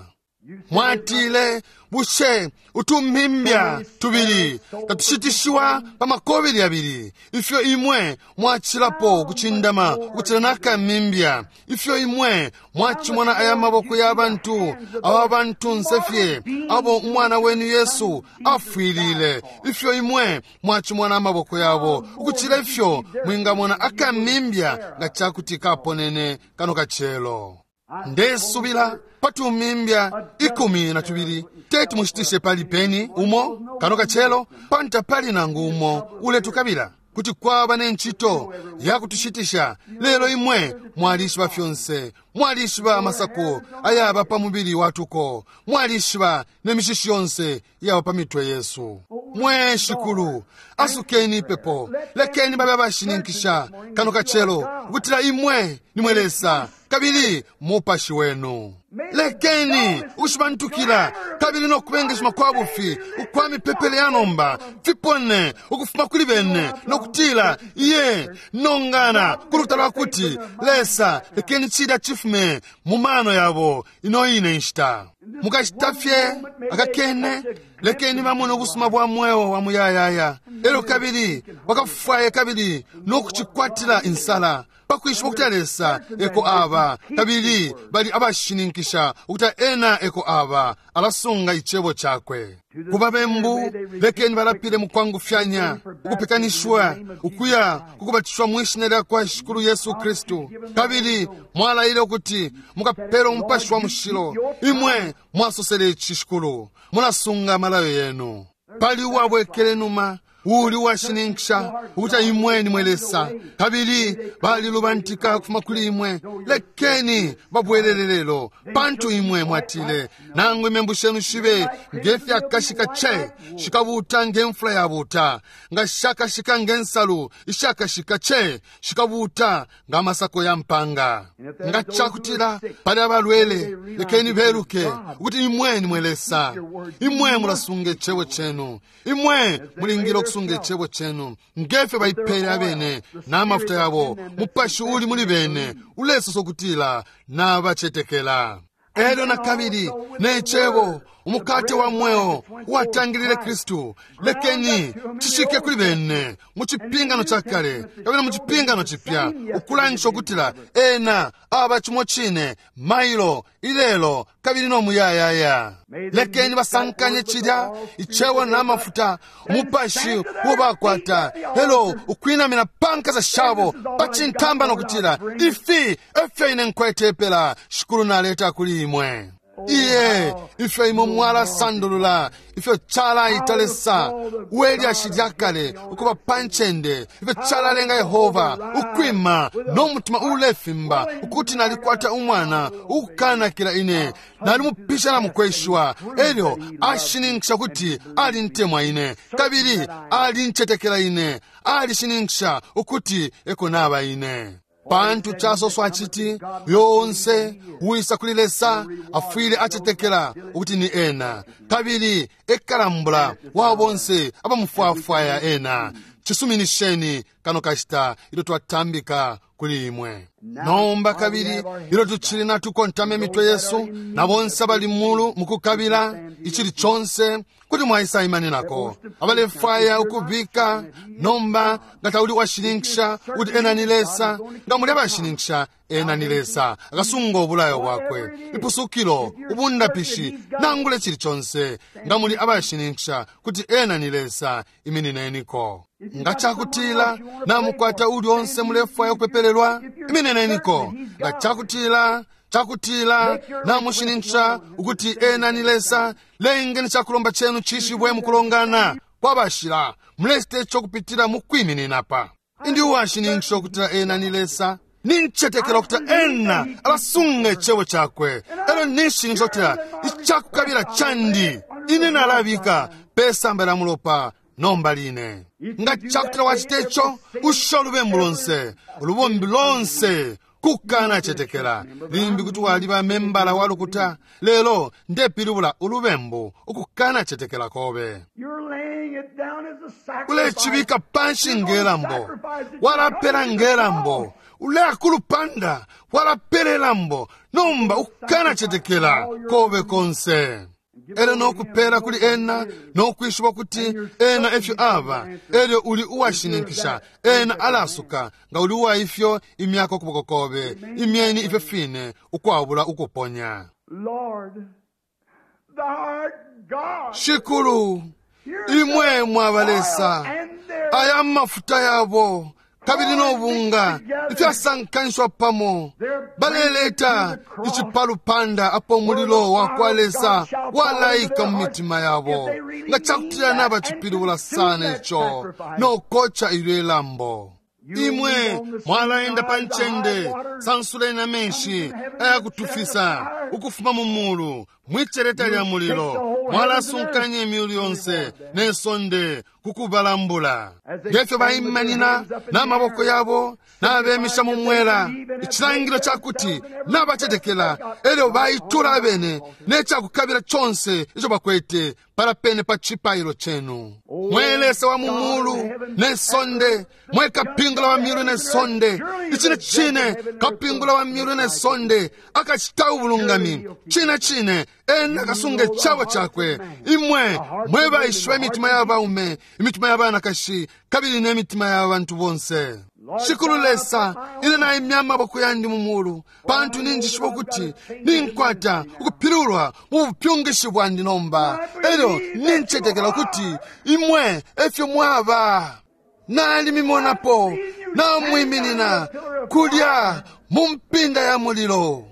Mwatile, bushe utumpimbya tubili tatushitishiwa pa makobili yabili? Ifyo imwe mwacilapo ukucindama ukucila nakamimbya. Ifyo imwe mwacimona aya maboko ya bantu aba bantunse fye abo umwana wenu Yesu afwilile. Ifyo imwe mwacimona amaboko yabo ukucila ifyo mwingamona akamimbya nga cakuti kaponene kano kacelo. Ndesubila patumimbya ikumi na tubili teti mushitishe pali peni umo kano kacelo, pantu pali nangu umo uletukabila kuti kwaba nenchito yakutushitisha. Lelo imwe mwalishiba fyonse, mwalishiba amasako ayaba pa mubili watuko, mwalishiba nemishishi yonse iyaba pa mitwe yesu. Mwe Shikulu, asukeni ipepo, lekeni babe abashininkisha kano kacelo ukutila imwe nimwe Lesa kabili mupashi wenu. Lekeni ukushibantukila kabili nokubengeshima kwa bufi ukwa mipepele ya nomba fipone ukufuma kuli bene nokutila iye nongana kulukuta lwa kuti Lesa, lekeni cilya chifume mu mano yabo ino ine nshita. Mukashita fye akakene, lekeni bamone ubusuma bwa mweo wa muyayaya, elyo kabili bakafwaye kabili nokucikwatila insala pakwishiba ukuti Lesa eko aba, kabili bali abashininkisha ukuti ena eko aba, alasunga icebo cakwe. Ku babembu lekeni balapile mukwangufyanya ukupekanishwa ukuya kukubatishwa mwishina lya kwa Shikulu Yesu Kristu, kabili mwalaile ukuti mukapela umupashi wa mushilo. Imwe mwasosele ici, Shikulu, mulasunga amalayo yenu. Pali uwabwekele numa uli uwashininkisha ukuti imwe nimwe Lesa, kabili balilubantika kufuma kuli imwe, lekeni babwelele lelo, pantu imwe mwatile nangu imembu shenu shibe ngefyakashika ce shikabuta ngemfula yabuta, nga shakashika ngensalu ishakashika ce shikabuta nga masako ya mpanga. Nga cakutila pali abalwele, lekeni beluke ukuti imwe nimwe Lesa, imwe mulasunga icebo cenu, imwe mulingile okusunga icebo cenu ngefyo baipele abene n'amafuta yabo. Mupashi uli muli bene ulesosa ukutila n'abacetekela. Elyo na kabili necebo umukate wa mweo uwatangilile Kristu, lekeni cishike kuli bene mu cipingano ca kale kabili mu cipingano cipya, ukulangisha ukutila ena aba cimo cine mailo ilelo kabili no muyayaya. Lekeni basankanye cilya icebo n'amafuta umupashi uwo bakwata, elo ukwinamina pankasa shabo pacintamba nokutila ifi efyo ine nkwete epela Shikulu naleta kuli imwe. Iye ifyo imwe mwalasandulula ifyo calaita Lesa uwelyashi lya kale ukuba pa ncende, ifyo calalenga Yehova ukwima no mutima ulefimba ukuti nalikwata umwana ukukanakila ine, nalimupisha na mukweshiwa, elyo ashininkisha kuti alintemwa ine kabili alincetekela ine, alishininkisha ukuti eko naba ine. Pantu casoswa citi yonse uwisa kuli Lesa afwile acetekela ukuti ni ena, kabili ekalambula wa bonse abamufwafwaya ena. Cisuminisheni kano kashita ilyo twatambika kuli imwe. Nomba kabili ilyo tucili natukontama imitwe yesu na bonse abali mulu mukukabila icili conse kuti mwaisaimaninako abalefwaya ukubika nomba nga tauli washininkisha kuti ena ni Lesa, nga muli abashininkisha ena ni Lesa akasunga ubulayo bwakwe, ipusukilo, ubundapishi, nangula icili conse. Nga muli abashininkisha kuti ena ni Lesa, iminineniko. Nga cakutila namukwata uli onse mulefwaya ukupepelelwa, iminineniko. Nga cakutila cakutila namushininkisha ukuti ena ni Lesa, lengeni cakulomba chenu cishibwe mukulongana kwabashila, mulecita ico kupitila mukwiminina pa. Indi uwashininkisha ukutila ena ni Lesa, nincetekela ukutila ena alasunga icebo cakwe, elo ninshininkisha ukutila icakukabila candi ine nalabika pesamba lya mulopa nomba line. Nga cakutila wacita ico, usha ulubembu lonse, ulubombi lonse kukana cetekela. Limbi kuti waliba membala wa lukuta, lelo ndepilibula ulubembu ukukana cetekela kobe. Ulecibika panshi ngelambo, walapela ngelambo, uleakulupanda walapela elambo, nomba ukukana cetekela kobe konse. Elyo nokupela kuli ena nokwishiba kuti ena efyo aba, elyo uli uwashininkisha ena alasuka. Nga uli uwa ifyo imyaka ukuboko kobe, imyeni ifyo fine ukwabula ukuponya. Shikulu, imwe mwaba Lesa, aya mafuta yabo kabili nobunga ifyasankanishwa pamo, baleleta icipalupanda apo umulilo wa kwa Lesa walaika mu mitima yabo. Nga cakutila nabacipilibula sana ico nokoca ilyo ilambo. Imwe mwalaenda pa ncende, sansuleni amenshi ayakutufisa ukufuma mu mulu mwiceleta lya mulilo, mwalasunkanya imyulu yonse ne sonde kukubalambula. Ngefyo baimanina n'amaboko yabo n'abemisha mu mwela, icilangilo cakuti nabacetekela, elyo baitula abene n'ecakukabila conse ico bakwete palapene pa cipailo cenu. Mwe Lesa wa mu mulu ne sonde, mwe kapingula wa myulu ne sonde, icine cine kapingula wa myulu ne sonde akacita ubulungami, cine cine ena akasunga icabo cakwe. Imwe mwe baishiba imitima ya baume, imitima ya banakashi, kabili n'emitima ya bantu bonse. Shikulu Lesa, ine naimya amaboko yandi mu mulu, pantu ninjishiba ukuti ninkwata ukupilulwa mu bupyungishi bwandi nomba, elyo nincetekela ukuti imwe efyo mwaba. Nalimimonapo namwiminina kulya mu mpinda ya mulilo.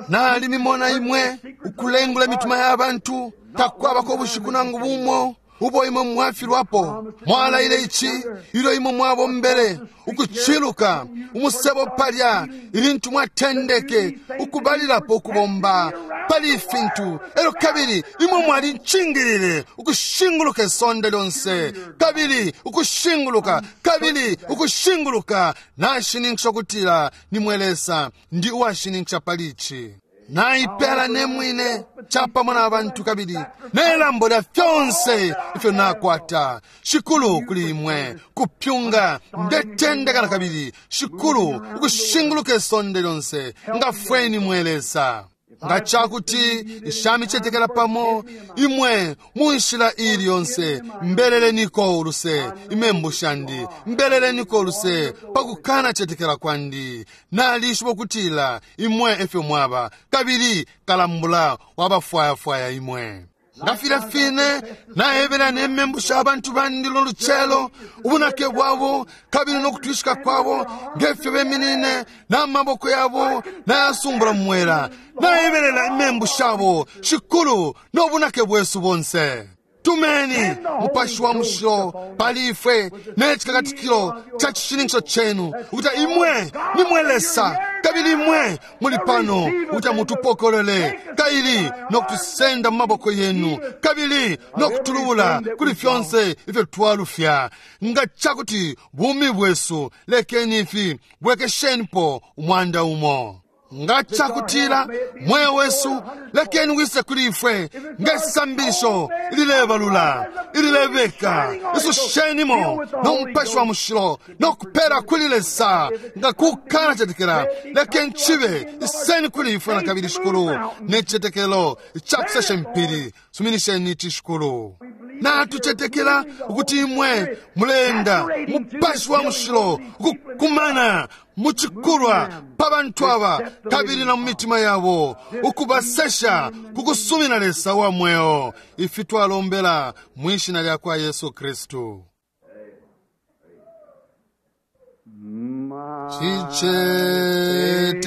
Nalimimona imwe ukulengula imitima ya bantu, takwabako ubushiku nangu bumo ubo imwe mwafilwapo. Mwalaile ici ilyo imwe mwabombele ukuciluka umusebo palya, ilintu mwatendeke ukubalilapo ukubomba pali ifintu, elyo kabili imwe mwalincingilile ukushinguluka isonde lyonse, kabili ukushinguluka, kabili ukushinguluka. Nashininkisha ukutila nimwe Lesa, ndi uwashininkisha pali ici. Naipela ne mwine capamo na bantu kabili nelambo lya fyonse ifyo nakwata. Shikulu, kuli imwe kupyunga ndetendeka na kabili, Shikulu, ukushinguluka isonde lyonse, ngafweni mwe Lesa. Nga cakuti nshamicetekela pamo imwe mu nshila ili yonse, mbeleleniko uluse imembu shandi, mbeleleniko uluse pakukana cetekela kwandi. Nalishiba ukutila imwe efyo mwaba, kabili kalambula wabafwayafwaya imwe. Nga filya fine naebela nemembu sha bantu bandi luno lucelo, ubunake bwabo kabili nokutwishika kwabo, ngefyo beminine n'amaboko yabo nayasumbula mu mwela, naebelela imembu shabo, Shikulu, n'obunake bwesu bonse. Tumeni Mupashi wa Mushilo pali ifwe n'ekikakatikilo ca cishininkisho cenu, ukuti imwe nimwe Lesa, kabili imwe muli pano ukuti mutupokolole kaili nokutusenda mu maboko yenu, kabili nokutulubula kuli fyonse ifyo twalufya. Nga cakuti bumi bwesu, lekeni ifi bwekeshenipo umwanda umo. Nga cakutila mweo wesu lekeni wise kuli ifwe ngesambilisho ililebalula ililebeka isushenimo no mupashi wa mushilo no kupera kuli Lesa nga kukana cetekela lekeni chibe iseni kuli ifwe na kabili shikulu ne chicetekelo icakusesha impili suminisheni ici shikulu. Natucetekela ukuti imwe mulenda mupashi wa mushilo ukukumana muchikulwa pa bantu aba kabili na mu mitima yabo ukubasesha kukusumina Lesa wa mweo ifi twalombela mwishina lya kwa Yesu Kristu.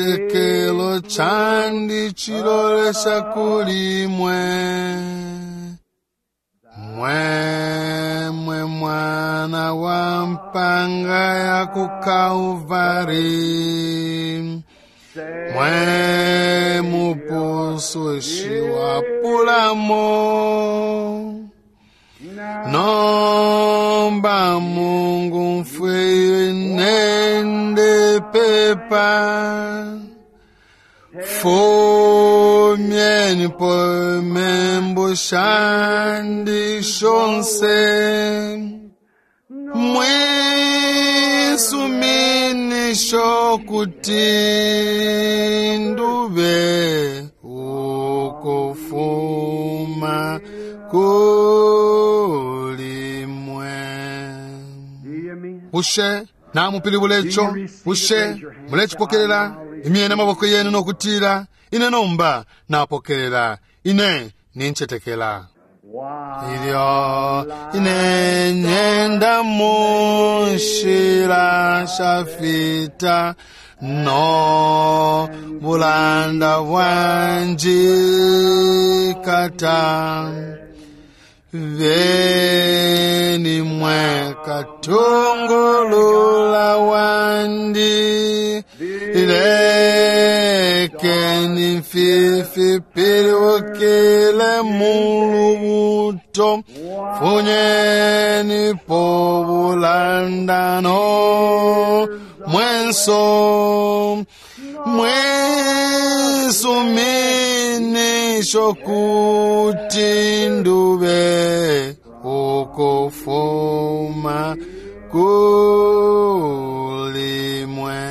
Chichetekelo chandi chilolesha kuli mwe mwe mwe mwana wa mpanga ya ku Kalvari mwe mupusushi wa pulamo nomba Mungu mfwe nende pepa fumyeni po membu shandi shonse mwisuminisho kuti ndube ukufuma kuli mwe. Bushe namupilibula ico? Bushe mulechipokelela? Imyene amaboko yenu nokutila ine nomba napokelela ine ninchetekela. Ilyo ine nyenda munshila shafita no bulanda bwanjikata veni mwe katungulula wandi lekeni mfifi piliwukile mulubuto funyeni po bulandano mwenso mwisuminisho kuti ndube ukufuma kuli mwe.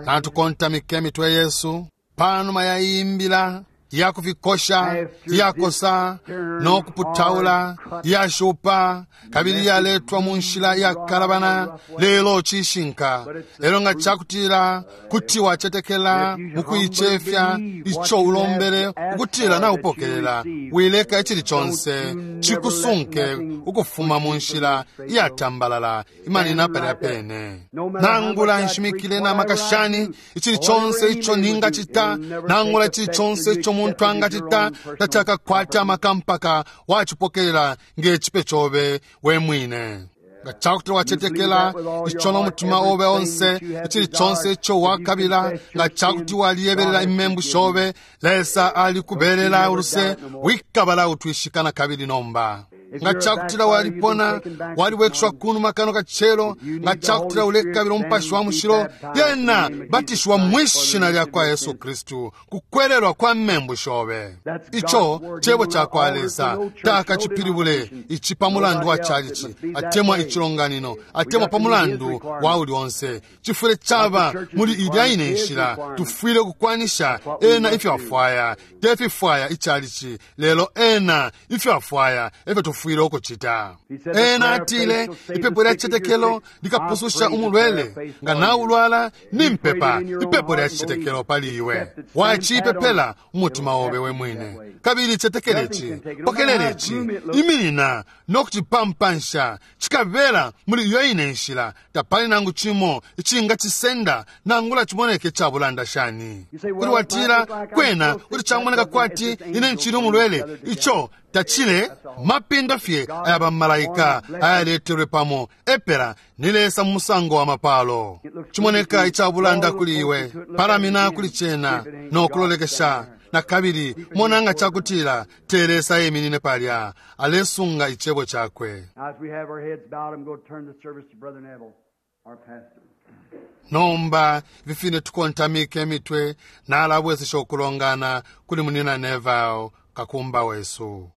Natukontamike mitwe Yesu panuma yayimbila yakufikosha yakosa nokuputaula yashupa kabili yaletwa mu nshila yakalabana lelo cishinka lelo nga cakutila kuti wacetekela mukuicefya ico ulombele ukutila naupokelela wileka icili conse cikusunke ukufuma mu nshila iyatambalala imanina palya pene. Nangula nshimikile na makashani icili conse ico ningacita nangula icili conse ico muntu angacita tacakakwata amaka mpaka wacipokelela ngechipe chobe we mwine. Nga cakutila wacetekela ico nomutima obe onse icili conse ico wakabila nga cakuti waliyebelela imembu shobe Lesa alikubelela uluse wikabala utwishikana kabili nomba. Nga cakutila walipona waliwekeshwa kunuma kano kachelo nga cakutila ulekabila umupashi wa mushilo yena batishwa mwishina lya kwa Yesu Kristu kukwelelwa kwa membu shobe. Ico cebo ca kwa Lesa takacipilibule ici pa mulandu wa chalichi atemwa ichilonganino atemwa pa mulandu wa uli onse chifule chaba muli ilya ine nshila tufwile kukwanisha ena ifyo afwaya tefifwaya ichalichi lelo ena ifyo afwaya efyo tufwile ukuchita. Ena atile ipepo lya chichetekelo likapususha umulwele nga naulwala nimpepa ipepo lya chichetekelo pali iwe wachipepela umutima obe we mwine kabili chetekelechi pokelelechi iminina nokuchipampansha chikabela muli iyo ine nshila tapali nangu chimo ichinga chisenda nangula chimoneke chabulanda shani. Kuti watila kwena kuti chamoneka kwati ine nchili umulwele icho tachile mapindo fye aya bamalaika ayaletelwe pamo epera ni Lesa mumusango wa mapalo. Chimoneka ichabulanda kuli iwe palamina kuli chena nokulolekesha na kabili monanga chakutila te Lesa yeminine palya alesunga ichebo chakwe. As we have our heads bowed, I'm going to turn the service to Brother Neville, our pastor. Nomba ifi fine tukontamike imitwe, nalabwesesha ukulongana kuli Munyina Neville, kakumba wesu.